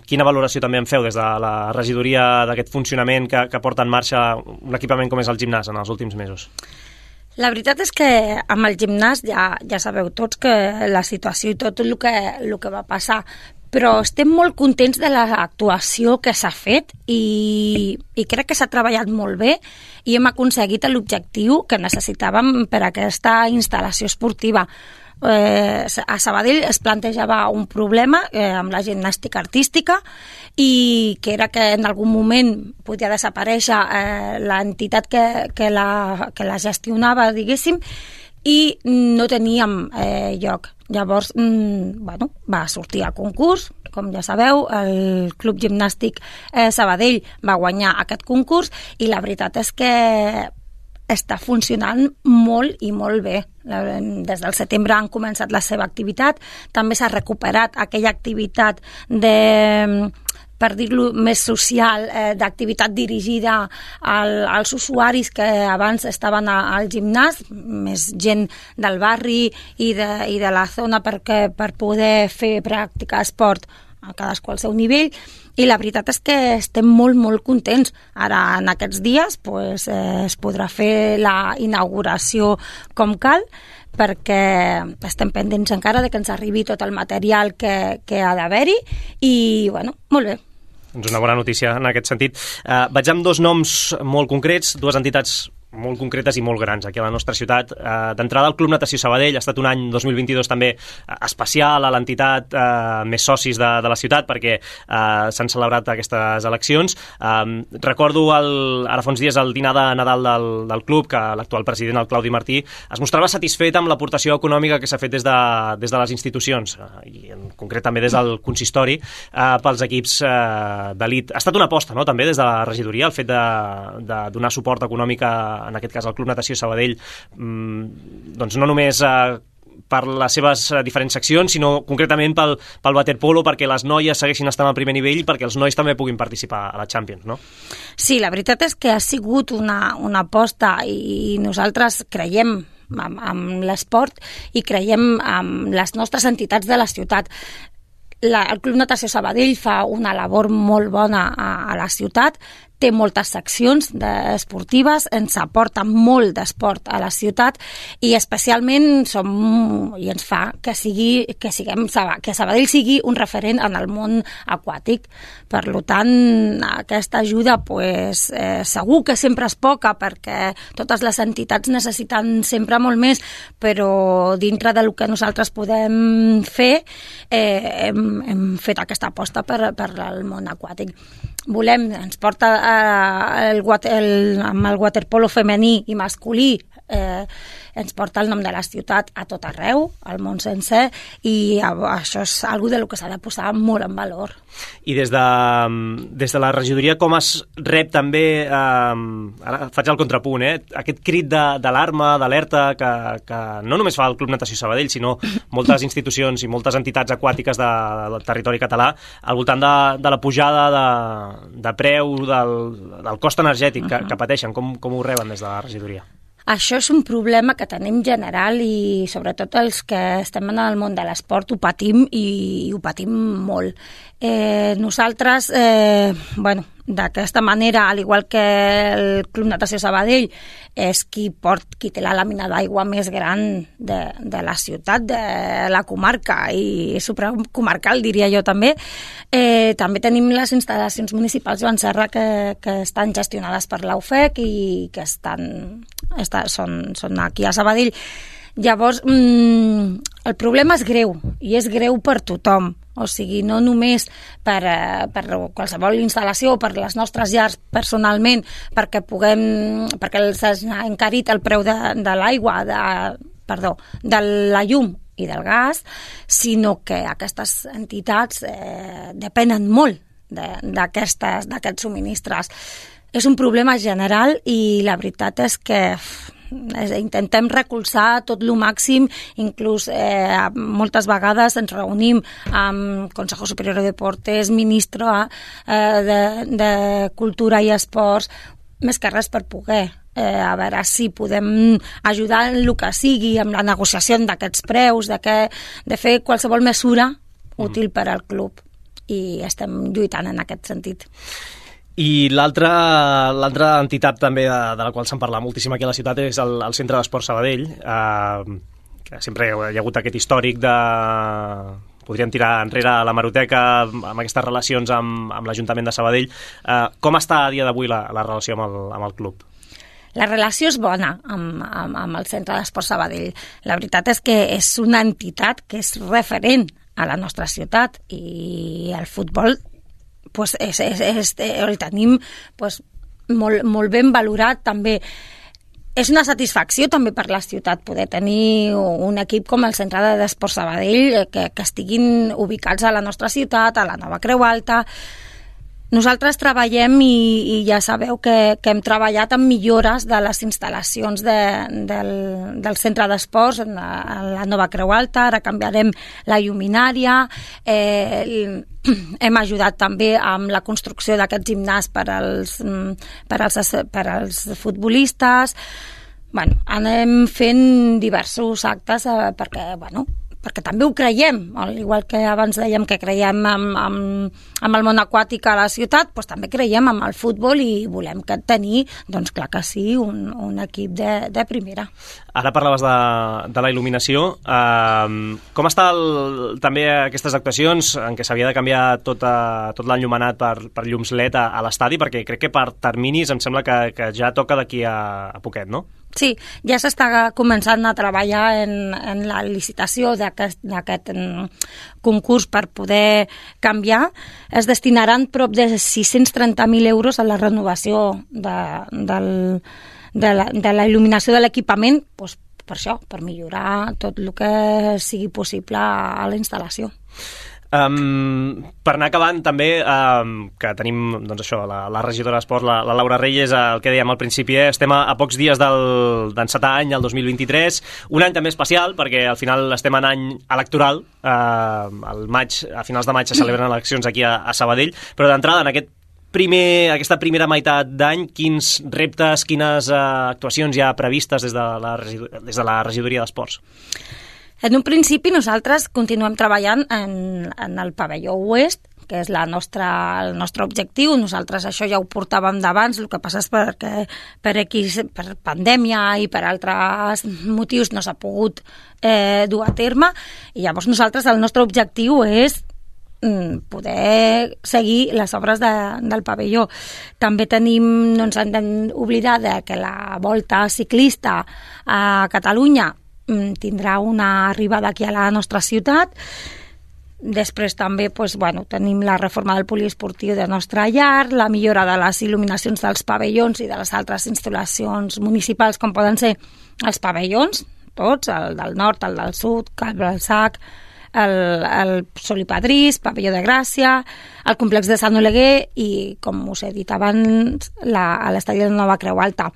Quina valoració també en feu des de la regidoria d'aquest funcionament que porta en marxa un equipament com és el gimnàs en els últims mesos? La veritat és que amb el gimnàs ja sabeu tots que la situació i tot el que va passar, però estem molt contents de l'actuació que s'ha fet i crec que s'ha treballat molt bé i hem aconseguit l'objectiu que necessitàvem per a aquesta instal·lació esportiva. A Sabadell es plantejava un problema amb la gimnàstica artística i que era que en algun moment podia desaparèixer l'entitat que la gestionava, diguéssim, i no teníem lloc. Llavors, va sortir a concurs, com ja sabeu, el Club Gimnàstic Sabadell va guanyar aquest concurs i la veritat és que està funcionant molt i molt bé. Des del setembre han començat la seva activitat, també s'ha recuperat aquella activitat per dir-lo més social, d'activitat dirigida als usuaris que abans estaven al gimnàs, més gent del barri i de la zona per poder fer practicar esport a cadascú al seu nivell, i la veritat és que estem molt, molt contents. Ara, en aquests dies, es podrà fer la inauguració com cal, perquè estem pendents encara de que ens arribi tot el material que ha d'haver-hi, i, molt bé. Doncs una bona notícia en aquest sentit. Vaig amb dos noms molt concrets, dues entitats molt concretes i molt grans aquí a la nostra ciutat. D'entrada, el Club Natació Sabadell ha estat un any 2022 també especial a l'entitat més socis de la ciutat perquè s'han celebrat aquestes eleccions. Recordo ara fa uns dies el dinar de Nadal del club que l'actual president, el Claudi Martí, es mostrava satisfet amb l'aportació econòmica que s'ha fet des de les institucions i en concret també des del consistori pels equips d'elit. Ha estat una aposta, no?, també des de la regidoria el fet de donar suport econòmic en aquest cas el Club Natació Sabadell, doncs no només per les seves diferents seccions, sinó concretament pel waterpolo, perquè les noies segueixin estant al primer nivell i perquè els nois també puguin participar a la Champions, no? Sí, la veritat és que ha sigut una aposta i nosaltres creiem en l'esport i creiem en les nostres entitats de la ciutat. El Club Natació Sabadell fa una labor molt bona a la ciutat, té moltes seccions esportives, ens aporta molt d'esport a la ciutat i especialment i ens fa que Sabadell sigui un referent en el món aquàtic. Per tant, aquesta ajuda segur que sempre és poca perquè totes les entitats necessiten sempre molt més, però dintre del que nosaltres podem fer hem fet aquesta aposta per el món aquàtic. Ens porta amb el waterpolo femení i masculí, ens porta el nom de la ciutat a tot arreu, al món sencer, i això és una cosa del que s'ha de posar molt en valor. I des de la regidoria com es rep també, ara faig el contrapunt, aquest crit d'alarma, d'alerta que no només fa el Club Natació Sabadell, sinó moltes institucions i moltes entitats aquàtiques del territori català al voltant de la pujada de preu del cost energètic que pateixen. Com ho reben des de la regidoria? Això és un problema que tenim general i sobretot els que estem en el món de l'esport ho patim i ho patim molt. Nosaltres, d'aquesta manera, al igual que el Club Natació Sabadell és qui té la làmina d'aigua més gran de la ciutat, de la comarca i supracomarcal, diria jo també, també tenim les instal·lacions municipals Joan Serra que estan gestionades per l'UFEC i que són aquí a Sabadell. Llavors, el problema és greu, i és greu per tothom. O sigui, no només per qualsevol instal·lació o per les nostres llars personalment, perquè s'ha encarit el preu de l'aigua, de la llum i del gas, sinó que aquestes entitats depenen molt d'aquests subministres. És un problema general i la veritat és que intentem recolzar tot el màxim, inclús moltes vegades ens reunim amb Consejo Superior de Deportes, Ministro de Cultura i Esports, més que res per poder a veure si podem ajudar en el que sigui, amb la negociació d'aquests preus, de fer qualsevol mesura útil per al club, i estem lluitant en aquest sentit. I l'altra entitat també de la qual se'n parla moltíssim aquí a la ciutat és el Centre d'Esport Sabadell, que sempre hi ha hagut aquest històric de... podríem tirar enrere la hemeroteca amb aquestes relacions amb l'Ajuntament de Sabadell. Com està a dia d'avui la relació amb el club? La relació és bona amb el Centre d'Esport Sabadell. La veritat és que és una entitat que és referent a la nostra ciutat, i el futbol pues, el tenim pues, molt ben valorat també. És una satisfacció també per la ciutat poder tenir un equip com el Centre d'Esport Sabadell que estiguin ubicats a la nostra ciutat, a la Nova Creu Alta. Nosaltres treballem, i ja sabeu que hem treballat en millores de les instal·lacions del centre d'esports a la Nova Creu Alta. Ara canviarem la lluminària, hem ajudat també amb la construcció d'aquest gimnàs per als futbolistes. Bueno, anem fent diversos actes perquè també ho creiem, al igual que abans dèiem que creiem amb el món aquàtic a la ciutat, doncs també creiem amb el futbol, i volem tenir, doncs clar que sí, un equip de primera. Ara parlaves de la il·luminació. Com està també aquestes actuacions en què s'havia de canviar tot l'enllumenat per llums LED a l'estadi? Perquè crec que per terminis em sembla que ja toca d'aquí a poquet, no? Sí, ja s'està començant a treballar en la licitació d'aquest concurs per poder canviar. Es destinaran prop de 630.000 euros a la renovació de la il·luminació de l'equipament, doncs per això, per millorar tot el que sigui possible a la instal·lació. Per anar acabant també, que tenim doncs això, la regidora d'Esports, la Laura Reyes, el que dèiem al principi, estem a pocs dies d'encetar any, el 2023, un any també especial perquè al final estem en any electoral, a finals de maig se celebren eleccions aquí a Sabadell, però d'entrada en aquesta primera meitat d'any, quins reptes, quines actuacions hi ha previstes des de la regidoria d'Esports? En un principi nosaltres continuem treballant en el pavelló oest, que és el nostre objectiu. Nosaltres això ja ho portàvem d'abans, el que passa és perquè per pandèmia i per altres motius no s'ha pogut dur a terme, i llavors nosaltres el nostre objectiu és poder seguir les obres del pavelló. També tenim, no ens hem d'oblidar que la volta ciclista a Catalunya tindrà una arribada aquí a la nostra ciutat. Després també tenim la reforma del poliesportiu de nostra llar, la millora de les il·luminacions dels pavellons i de les altres instal·lacions municipals, com poden ser els pavellons, tots, el del nord, el del sud, el Balsac, el Solipadrís, Pavelló de Gràcia, el complex de Sant Oleguer i, com us he dit abans, l'estadi de Nova Creu Alta.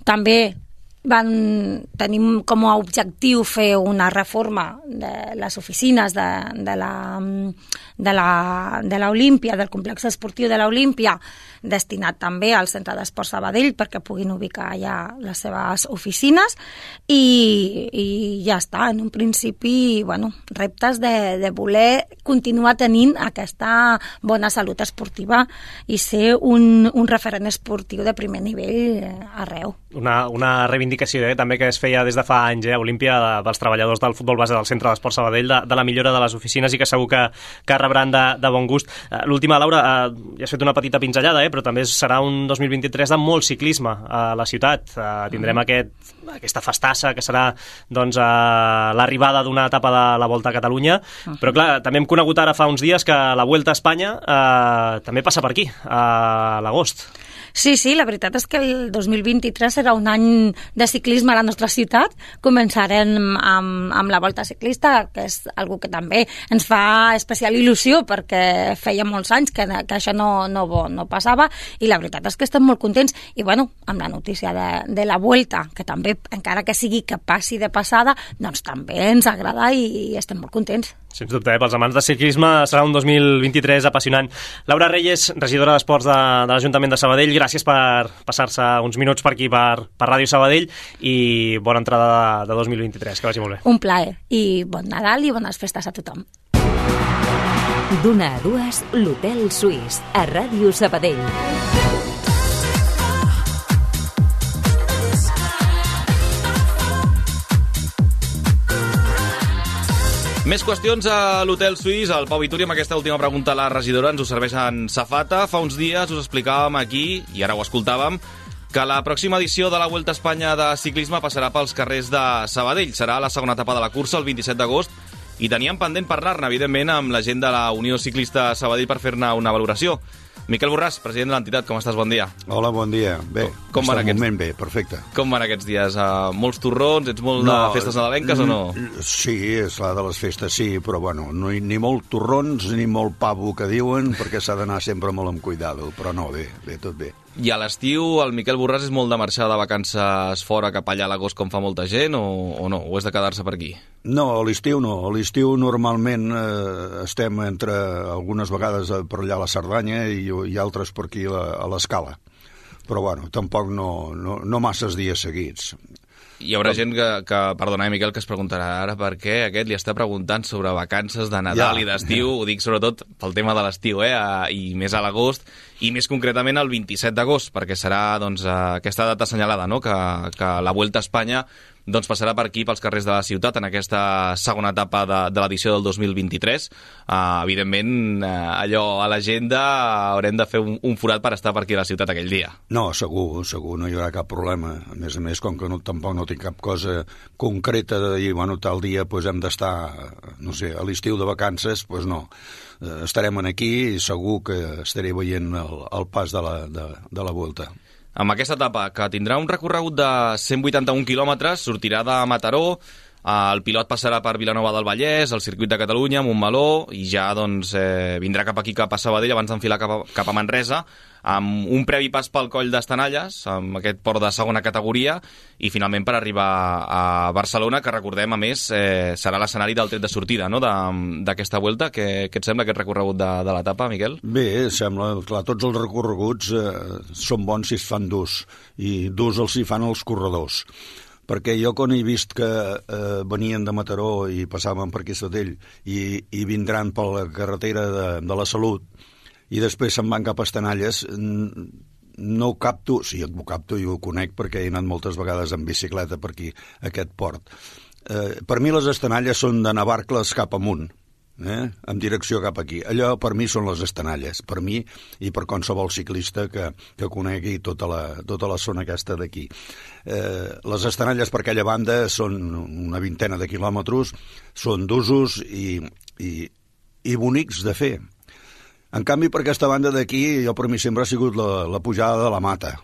També tenim com a objectiu fer una reforma de les oficines de l'Olímpia, del complex esportiu de l'Olímpia, destinat també al Centre d'Esport Sabadell perquè puguin ubicar allà les seves oficines, i ja està. En un principi, reptes de voler continuar tenint aquesta bona salut esportiva i ser un referent esportiu de primer nivell arreu. Una reivindicació també que es feia des de fa anys, Olímpia, dels treballadors del futbol base del Centre d'Esport Sabadell, de la millora de les oficines, i que segur que rebran de bon gust. L'última, Laura, ja has fet una petita pinzellada, però també serà un 2023 de molt ciclisme a la ciutat. Tindrem aquesta festassa que serà l'arribada d'una etapa de la Volta a Catalunya, però clar, també hem conegut ara fa uns dies que la Vuelta a Espanya també passa per aquí, a l'agost. Sí, la veritat és que el 2023 serà un any de ciclisme a la nostra ciutat. Començarem amb la Volta Ciclista, que és algo que també ens fa especial il·lusió perquè feia molts anys que això no passava, i la veritat és que estem molt contents. I bueno, amb la notícia de la Vuelta, que també, encara que sigui que passi de passada, doncs també ens agrada i estem molt contents. Sens dubte, pels amants de ciclisme serà un 2023 apassionant. Laura Reyes, regidora d'Esports de l'Ajuntament de Sabadell, gràcies per passar-se uns minuts per aquí per Ràdio Sabadell i bona entrada de 2023, que vagi molt bé. Un plaer, i bon Nadal i bones festes a tothom. D'una a dues, l'Hotel Suís, a Ràdio Sabadell. Més qüestions a l'Hotel Suís. El Pau Vituri, amb aquesta última pregunta a la regidora, ens ho serveix en safata. Fa uns dies us explicàvem aquí, i ara ho escoltàvem, que la pròxima edició de la Vuelta a Espanya de ciclisme passarà pels carrers de Sabadell. Serà la segona etapa de la cursa, el 27 d'agost, i teníem pendent parlar-ne, evidentment, amb la gent de la Unió Ciclista Sabadell per fer-ne una valoració. Miquel Borràs, president de l'entitat, com estàs? Bon dia. Hola, bon dia. Bé, com van aquests... moment bé, perfecte. Com van aquests dies? Molts torrons? Ets molt de festes nadalenques o no? Sí, és la de les festes, sí, però bueno, ni molt torrons ni molt pavo que diuen, perquè s'ha d'anar sempre molt amb cuidado, però no, bé, tot bé. I a l'estiu el Miquel Borràs és molt de marxar de vacances fora cap allà a l'agost com fa molta gent o no? O és de quedar-se per aquí? No, a l'estiu no. A l'estiu normalment estem entre algunes vegades per allà a la Cerdanya i altres per aquí a l'Escala. Però bueno, tampoc no masses dies seguits. Hi haurà gent que perdona, Miquel, que es preguntarà ara per què aquest li està preguntant sobre vacances de Nadal i d'estiu. Ho dic sobretot pel tema de l'estiu, i més a l'agost, i més concretament el 27 d'agost, perquè serà aquesta data assenyalada, no? que la Vuelta a Espanya passarà per aquí, pels carrers de la ciutat, en aquesta segona etapa de l'edició del 2023. Evidentment, allò a l'agenda haurem de fer un forat per estar per aquí a la ciutat aquell dia. No, segur, no hi haurà cap problema. A més, com que tampoc no tinc cap cosa concreta de dir, bueno, tal dia hem d'estar, no sé, a l'estiu de vacances, doncs no. Estarem aquí i segur que estaré veient el pas de la Volta. Amb aquesta etapa, que tindrà un recorregut de 181 quilòmetres, sortirà de Mataró, el pilot passarà per Vilanova del Vallès, el circuit de Catalunya, Montmeló, i ja vindrà cap aquí, cap a Sabadell, abans d'enfilar cap a Manresa, amb un previ pas pel Coll d'Estanalles, amb aquest port de segona categoria, i finalment per arribar a Barcelona, que recordem, a més, serà l'escenari del tret de sortida, no?, d'aquesta Vuelta. Què et sembla aquest recorregut de l'etapa, Miquel? Bé, sembla, clar, tots els recorreguts són bons si es fan durs, i durs els hi fan els corredors. Perquè jo quan he vist que venien de Mataró i passaven per aquí Sabadell i vindran per la carretera de la Salut i després se'n van cap a Estanalles, no ho capto, sí, ho capto i ho conec perquè he anat moltes vegades en bicicleta per aquí, a aquest port. Per mi les Estanalles són de Navarcles cap amunt, en direcció cap aquí. Allò per mi són les Estanalles, per mi i per qualsevol ciclista que conegui tota la zona aquesta d'aquí. Les Estanalles per aquella banda són una vintena de quilòmetres, són d'usos i bonics de fer. En canvi, per aquesta banda d'aquí, per mi sempre ha sigut la pujada de la Mata,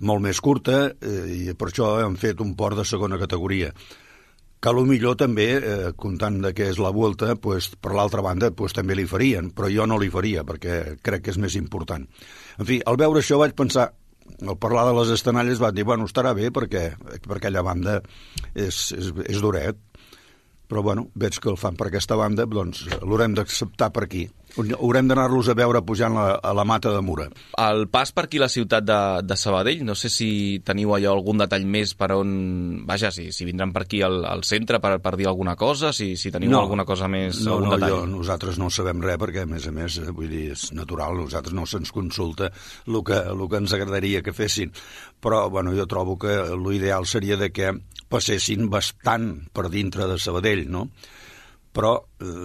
molt més curta, i per això hem fet un port de segona categoria. Que millor també, comptant que és la Vuelta, per l'altra banda també li farien, però jo no li faria perquè crec que és més important. En fi, al veure això vaig pensar, al parlar de les Estanalles vaig dir, bueno, estarà bé perquè per aquella banda és duret, però bueno, veig que el fan per aquesta banda, doncs l'haurem d'acceptar per aquí. Haurem d'anar-los a veure pujant a la Mata de Mura. El pas per aquí a la ciutat de Sabadell, no sé si teniu allò algun detall més per on... Vaja, si vindran per aquí al centre per dir alguna cosa, si teniu alguna cosa més, algun detall. Nosaltres no sabem res perquè, a més, vull dir, és natural, nosaltres no se'ns consulta el que ens agradaria que fessin. Però, bueno, jo trobo que l'ideal seria de que passessin bastant per dintre de Sabadell, no? Però,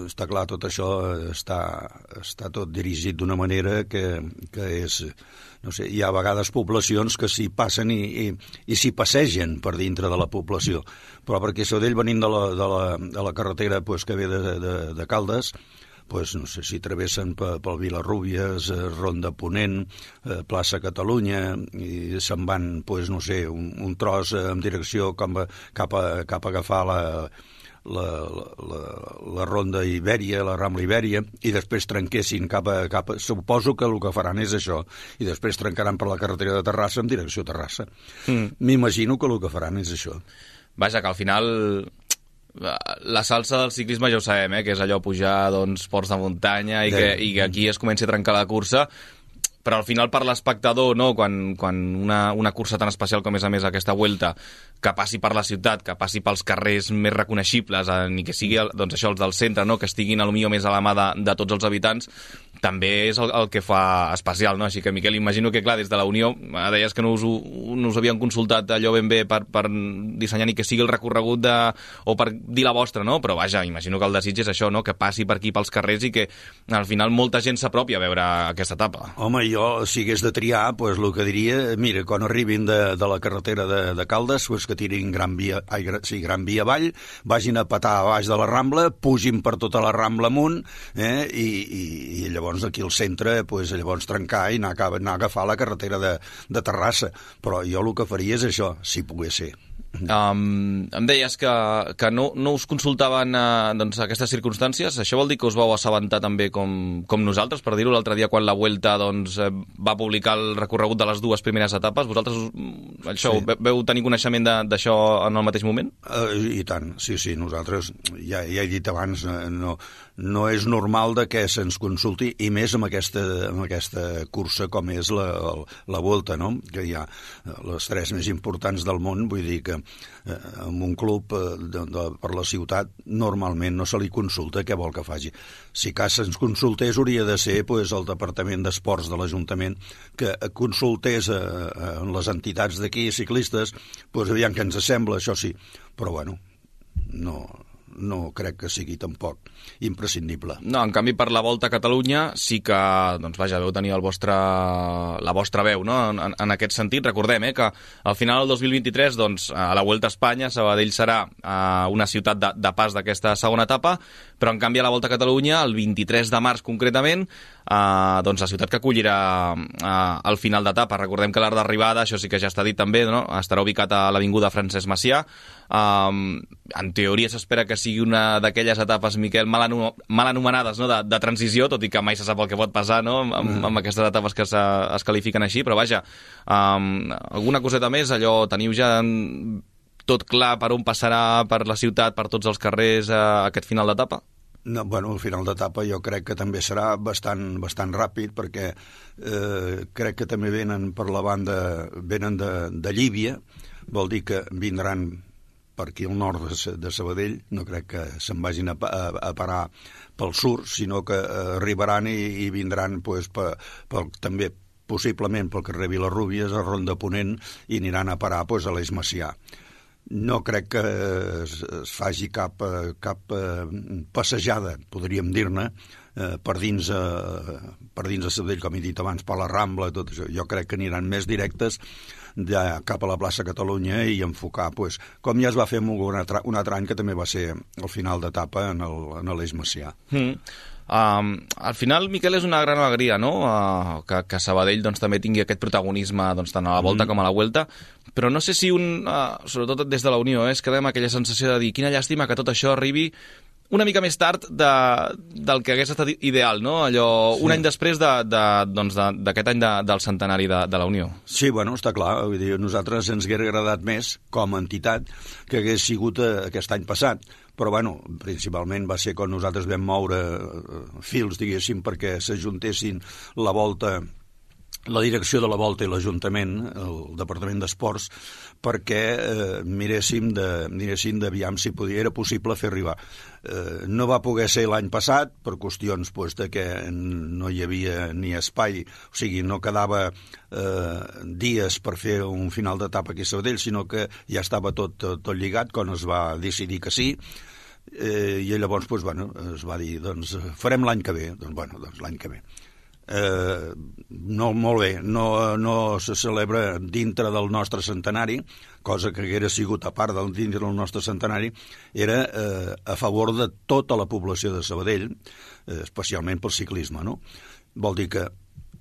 està clar, tot això està tot dirigit d'una manera que és... No sé, hi ha a vegades poblacions que s'hi passen i s'hi passegen per dintre de la població. Però perquè Sabadell venint de la carretera que ve de Caldes, pues, no sé si travessen pel Vilarrúbies, Ronda Ponent, plaça Catalunya, i se'n van, pues, no sé, un tros en direcció cap a agafar la Ronda Ibèria, la Rambla Ibèria, i després trenquessin cap a... Suposo que el que faran és això, i després trencaran per la carretera de Terrassa en direcció a Terrassa. M'imagino que el que faran és això. Vaja, que al final la salsa del ciclisme ja ho sabem, que és allò pujar ports de muntanya i que aquí es comenci a trencar la cursa, però al final per l'espectador, no? Quan una cursa tan especial com és a més aquesta Vuelta, que passi per la ciutat, que passi pels carrers més reconeixibles, ni que sigui doncs això, els del centre, no? Que estiguin potser més a la mà de tots els habitants, també és el que fa especial, no? Així que, Miquel, imagino que, clar, des de la Unió deies que no us havien consultat allò ben bé per dissenyar ni que sigui el recorregut o per dir la vostra, no? Però vaja, imagino que el desig és això, no? Que passi per aquí pels carrers i que al final molta gent s'apropi a veure aquesta etapa. Home, jo, si hagués de triar, pues, el que diria, mira, quan arribin de la carretera de Caldes, pues, que tirin Gran Via avall, vagin a petar a baix de la Rambla, pugin per tota la Rambla amunt, i llavors aquí al centre, pues, llavors trencar i anar a agafar la carretera de Terrassa. Però jo el que faria és això, si pogués ser. Em deies que no us consultaven aquestes circumstàncies. Això vol dir que us vau assabentar també com nosaltres, per dir-ho, l'altre dia quan la Vuelta va publicar el recorregut de les dues primeres etapes. Vosaltres veu tenir coneixement d'això en el mateix moment? I tant, sí, nosaltres ja he dit abans, no és normal que se'ns consulti, i més amb aquesta cursa com és la Vuelta, no? Que hi ha les 3 més importants del món. Vull dir que en un club per la ciutat normalment no se li consulta què vol que faci. Si cas se'ns consultés hauria de ser el Departament d'Esports de l'Ajuntament que consultés en les entitats d'aquí, ciclistes, aviam què ens sembla, això sí, però bueno, no crec que sigui tampoc imprescindible. No, en canvi per la Volta a Catalunya sí que, veu tenir la vostra veu, no? En aquest sentit, recordem que al final del 2023, a la Vuelta a Espanya, Sabadell serà una ciutat de pas d'aquesta segona etapa, però en canvi a la Volta a Catalunya, el 23 de març concretament, la ciutat que acollirà al final d'etapa. Recordem que l'art d'arribada, això sí que ja està dit també, no? Estarà ubicat a l'Avinguda Francesc Macià. En teoria s'espera que sigui una d'aquelles etapes, Miquel, mal anomenades, no? de transició, tot i que mai se sap el que pot passar, no? amb aquestes etapes que es qualifiquen així, però vaja, alguna coseta més, allò, teniu ja tot clar per on passarà per la ciutat, per tots els carrers, aquest final d'etapa? No, el final d'etapa jo crec que també serà bastant ràpid, perquè crec que també venen per la banda, venen de Llívia, vol dir que vindran per aquí al nord de Sabadell, no crec que se'n vagin a parar pel sud, sinó que arribaran i vindran també possiblement pel carrer Vilarrúbies, a Ronda Ponent, i aniran a parar a l'Eix Macià. No crec que es faci cap passejada, podríem dir-ne, per dins de Sabadell, com he dit abans, per la Rambla, tot això. Jo crec que aniran més directes cap a la plaça Catalunya i enfocar, com ja es va fer un altre any, que també va ser al final d'etapa en l'Eix Macià. Al final, Miquel, és una gran alegria, no? Que Sabadell també tingui aquest protagonisme tant a la Volta com a la Vuelta, però no sé si sobretot des de la Unió, es queda amb aquella sensació de dir quina llàstima que tot això arribi una mica més tard del que hagués estat ideal, no? Allò, un any després d'aquest any del centenari de la Unió. Sí, està clar. Vull dir, a nosaltres ens hauria agradat més, com a entitat, que hagués sigut aquest any passat. Però, principalment va ser quan nosaltres vam moure fils, diguéssim, perquè s'ajuntessin la Volta, la direcció de la Volta i l'Ajuntament, el Departament d'Esports, perquè miréssim d'aviam si era possible fer arribar. No va poder ser l'any passat, per qüestions de que no hi havia ni espai, o sigui, no quedava dies per fer un final d'etapa aquí a Sabadell, sinó que ja estava tot lligat quan es va decidir que sí, i llavors es va dir, farem l'any que ve. L'any que ve. no, molt bé, no se celebra dintre del nostre centenari, cosa que haguera sigut a part dintre del nostre centenari, era a favor de tota la població de Sabadell, especialment pel ciclisme, no? Vol dir que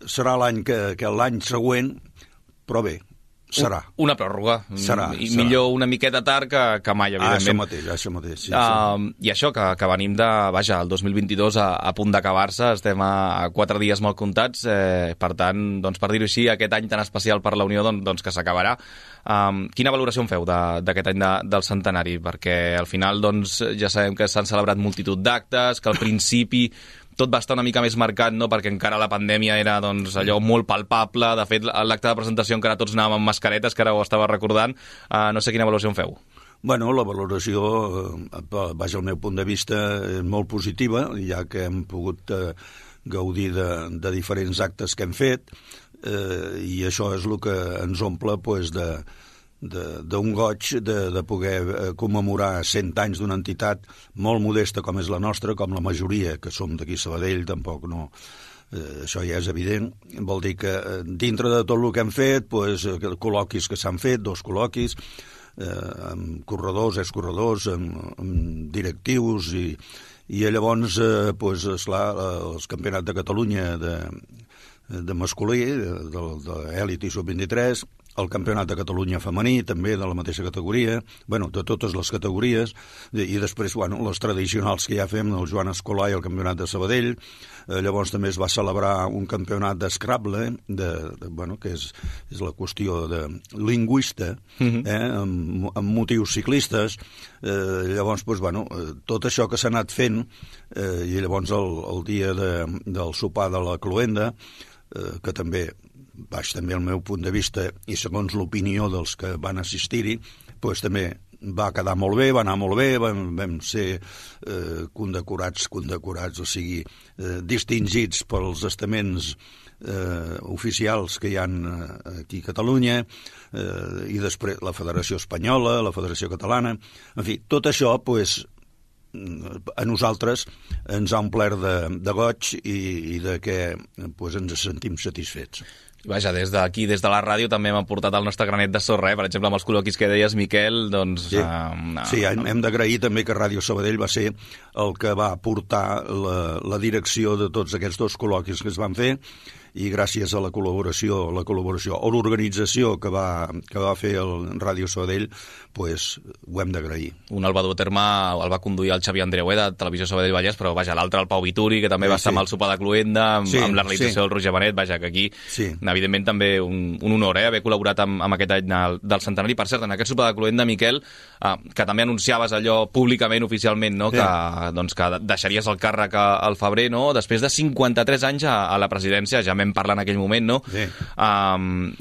serà l'any que l'any següent, però bé, serà. Una pròrroga. Serà. Millor una miqueta tard que mai, evidentment. Això mateix. Sí, I això, que venim de... Vaja, el 2022 a punt d'acabar-se, estem a 4 dies molt comptats, per tant, doncs, per dir-ho així, aquest any tan especial per la Unió, doncs que s'acabarà. Quina valoració en feu d'aquest any del centenari? Perquè al final, doncs, ja sabem que s'han celebrat multitud d'actes, que al principi tot va estar una mica més marcat, no? Perquè encara la pandèmia era doncs, allò molt palpable. De fet, l'acte de presentació encara tots anàvem amb mascaretes, que ara ho estava recordant. No sé quina valoració en feu. Bueno, la valoració, vaja, al meu punt de vista, és molt positiva, ja que hem pogut gaudir de diferents actes que hem fet, i això és el que ens omple pues, d'un goig de poder commemorar 100 anys d'una entitat molt modesta com és la nostra, com la majoria que som d'aquí a Sabadell, tampoc no... això ja és evident. Vol dir que dintre de tot el que hem fet, pues, col·loquis que s'han fet, 2 col·loquis, amb corredors, excorredors, amb directius, i llavors, pues, esclar, els campionats de Catalunya de masculí, d'elit i sub-23, el Campionat de Catalunya femení, també de la mateixa categoria, bueno, de totes les categories, i després, bueno, les tradicionals que ja fem, el Joan Escolà i el Campionat de Sabadell. Llavors també es va celebrar un campionat d'Scrabble, bueno, que és la qüestió de lingüista, amb motius ciclistes. Llavors, doncs, bueno, tot això que s'ha anat fent, i llavors el dia del sopar de la cloenda, que també també el meu punt de vista i segons l'opinió dels que van assistir-hi, doncs també va quedar molt bé, va anar molt bé, vam ser condecorats, o sigui, distingits pels estaments oficials que hi ha aquí a Catalunya, i després la Federació Espanyola, la Federació Catalana, en fi, tot això, doncs, a nosaltres ens ha omplert de goig i de que ens sentim satisfets. Vaja, des d'aquí, des de la ràdio, també hem aportat el nostre granet de sorra, per exemple, amb els col·loquis que deies, Miquel, doncs... Sí, hem d'agrair també que Ràdio Sabadell va ser el que va portar la direcció de tots aquests 2 col·loquis que es van fer, i gràcies a la col·laboració o l'organització que va fer el Ràdio Sabadell, pues, ho hem d'agrair. Un el va dur a terme, el va conduir el Xavier Andreué de Televisió Sabadell Vallès, però vaja, l'altre el Pau Vituri, que també va estar amb el sopar de cloenda, amb la realització del Roger Benet, vaja, que aquí, evidentment, també un honor haver col·laborat amb aquest any del centenari. Per cert, en aquest sopar de cloenda, Miquel, que també anunciaves allò públicament, oficialment, no? Que deixaries el càrrec al febrer, no? Després de 53 anys a la presidència, ja vam parlar en aquell moment, no?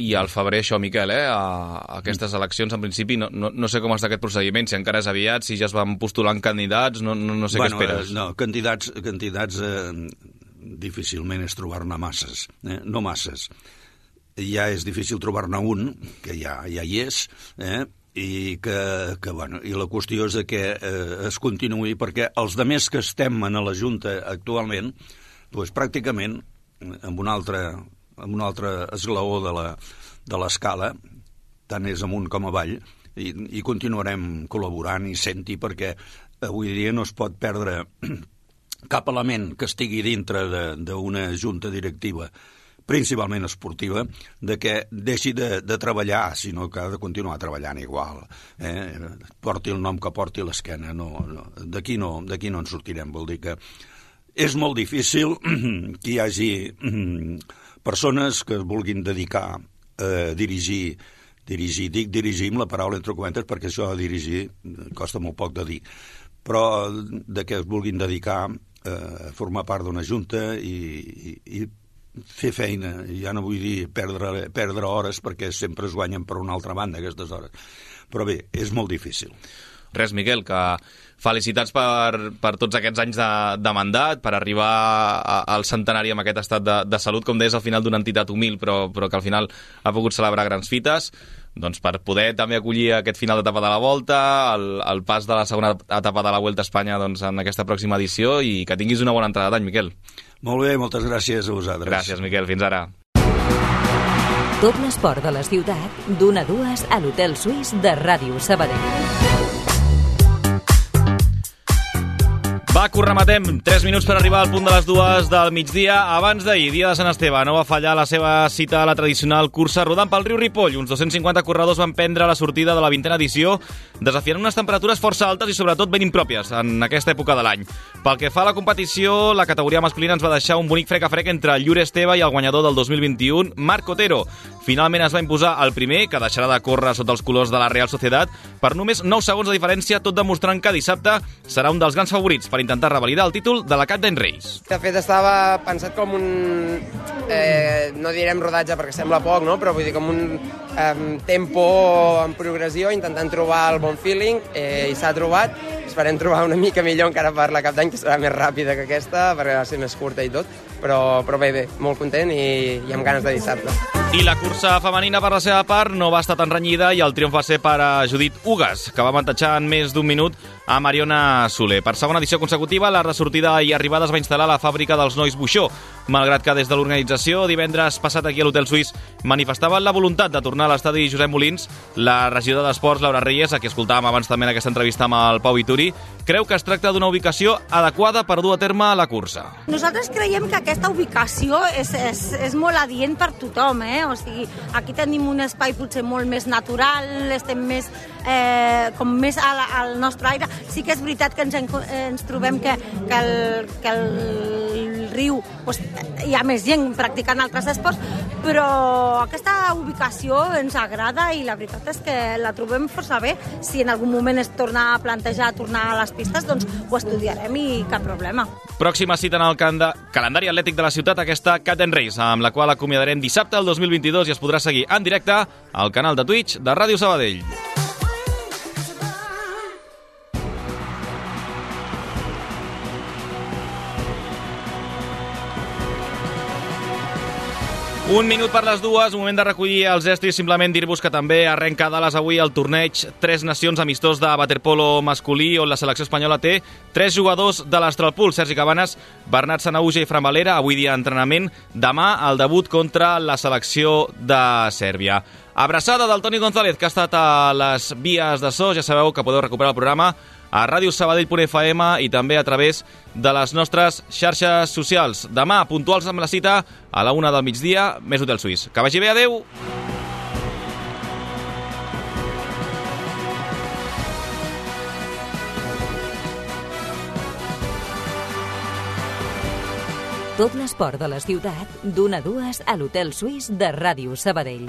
I al febrer això, Miquel, aquestes eleccions, en principi, no sé com està aquest procediment, si encara és aviat, si ja es van postulant candidats, no sé què esperes. No, candidats difícilment és trobar-ne masses, no masses. Ja és difícil trobar-ne un, que ja hi és, i la qüestió és que es continuï, perquè els demés que estem a la Junta actualment, doncs pràcticament amb un altre esglaó de l'escala, tant és amunt com avall, i continuarem col·laborant i sent-hi, perquè avui dia no es pot perdre cap element que estigui dintre d'una junta directiva, principalment esportiva, de que deixi de treballar, sinó que ha de continuar treballant igual. Porti el nom que porti l'esquena. D'aquí no en sortirem. Vol dir que és molt difícil que hi hagi persones que es vulguin dedicar a dirigir, dic dirigir amb la paraula entre cometes, perquè això de dirigir costa molt poc de dir, però de que es vulguin dedicar a formar part d'una junta i fer feina. Ja no vull dir perdre hores, perquè sempre es guanyen per una altra banda aquestes hores, però bé, és molt difícil. Res, Miquel, que felicitats per tots aquests anys de mandat, per arribar al centenari amb aquest estat de salut, com deies, al final d'una entitat humil, però que al final ha pogut celebrar grans fites, doncs per poder també acollir aquest final d'etapa de la Volta, el pas de la segona etapa de la Vuelta a Espanya, doncs, en aquesta pròxima edició, i que tinguis una bona entrada d'any, Miquel. Molt bé, moltes gràcies a vosaltres. Gràcies, Miquel, fins ara. Tot l'esport de la ciutat, d'1 a 2 a l'Hotel Suís de Ràdio Sabadell. Va, corrematem. 3 minuts per arribar al punt de les 2 del migdia. Abans d'ahir, dia de Sant Esteve, no va fallar la seva cita a la tradicional cursa rodant pel riu Ripoll. Uns 250 corredors van prendre la sortida de la 20a edició, desafiant unes temperatures força altes i sobretot ben impròpies en aquesta època de l'any. Pel que fa a la competició, la categoria masculina ens va deixar un bonic frec a frec entre Llur Esteve i el guanyador del 2021, Marc Otero. Finalment es va imposar el primer, que deixarà de córrer sota els colors de la Real Sociedad, per només 9 segons de diferència, tot demostrant que dissabte serà un dels grans favorits per intentar revalidar el títol de la Cap d'Any Reis. De fet, estava pensat com un... no direm rodatge perquè sembla poc, no? Però vull dir com un tempo en progressió, intentant trobar el bon feeling, i s'ha trobat. Esperem trobar una mica millor encara per la Cap d'Any, que serà més ràpida que aquesta, perquè va ser més curta i tot. Però bé, molt content i amb ganes de dissabte. I la cursa femenina, per la seva part, no va estar tan renyida i el triomf va ser per a Judit Ugas, que va avantatjar en més d'1 minut a Mariona Soler. Per segona edició consecutiva, la de sortida i arribada es va instal·lar a la fàbrica dels nois Buixó, malgrat que des de l'organització divendres passat aquí a l'Hotel Suís manifestaven la voluntat de tornar a l'estadi Josep Molins. La regidora d'Esports, Laura Reyes, a qui escoltàvem abans també en aquesta entrevista amb el Pau Vituri, creu que es tracta d'una ubicació adequada per dur a terme la cursa. Nosaltres creiem que aquesta ubicació és molt adient per tothom, O sigui, aquí tenim un espai potser molt més natural, estem més, com més al nostre aire. Sí que és veritat que ens trobem que el riu hi ha més gent practicant altres esports, però aquesta ubicació ens agrada i la veritat és que la trobem força bé. Si en algun moment es torna a plantejar tornar a les pistes, doncs ho estudiarem i cap problema. Pròxima cita en el calendari atlètic de la ciutat, aquesta Cap d'Any Reis, amb la qual acomiadarem dissabte del 2022 i es podrà seguir en directe al canal de Twitch de Ràdio Sabadell. Un minut per les 2, moment de recollir els estris. Simplement dir-vos que també arrenca a Dallas avui el torneig 3 Nacions amistós de waterpolo masculí, on la selecció espanyola té 3 jugadors de l'Astralpool: Sergi Cabanes, Bernat Sanahuja i Fran Valera. Avui dia d'entrenament, demà el debut contra la selecció de Sèrbia. Abraçada del Toni González, que ha estat a les vies de so. Ja sabeu que podeu recuperar el programa a radiosabadell.fm i també a través de les nostres xarxes socials. Demà, puntuals amb la cita, a la 1 del migdia, més Hotel Suís. Que vagi bé, adeu! Tot l'esport de la ciutat, d'1 a 2 a l'Hotel Suís de Ràdio Sabadell.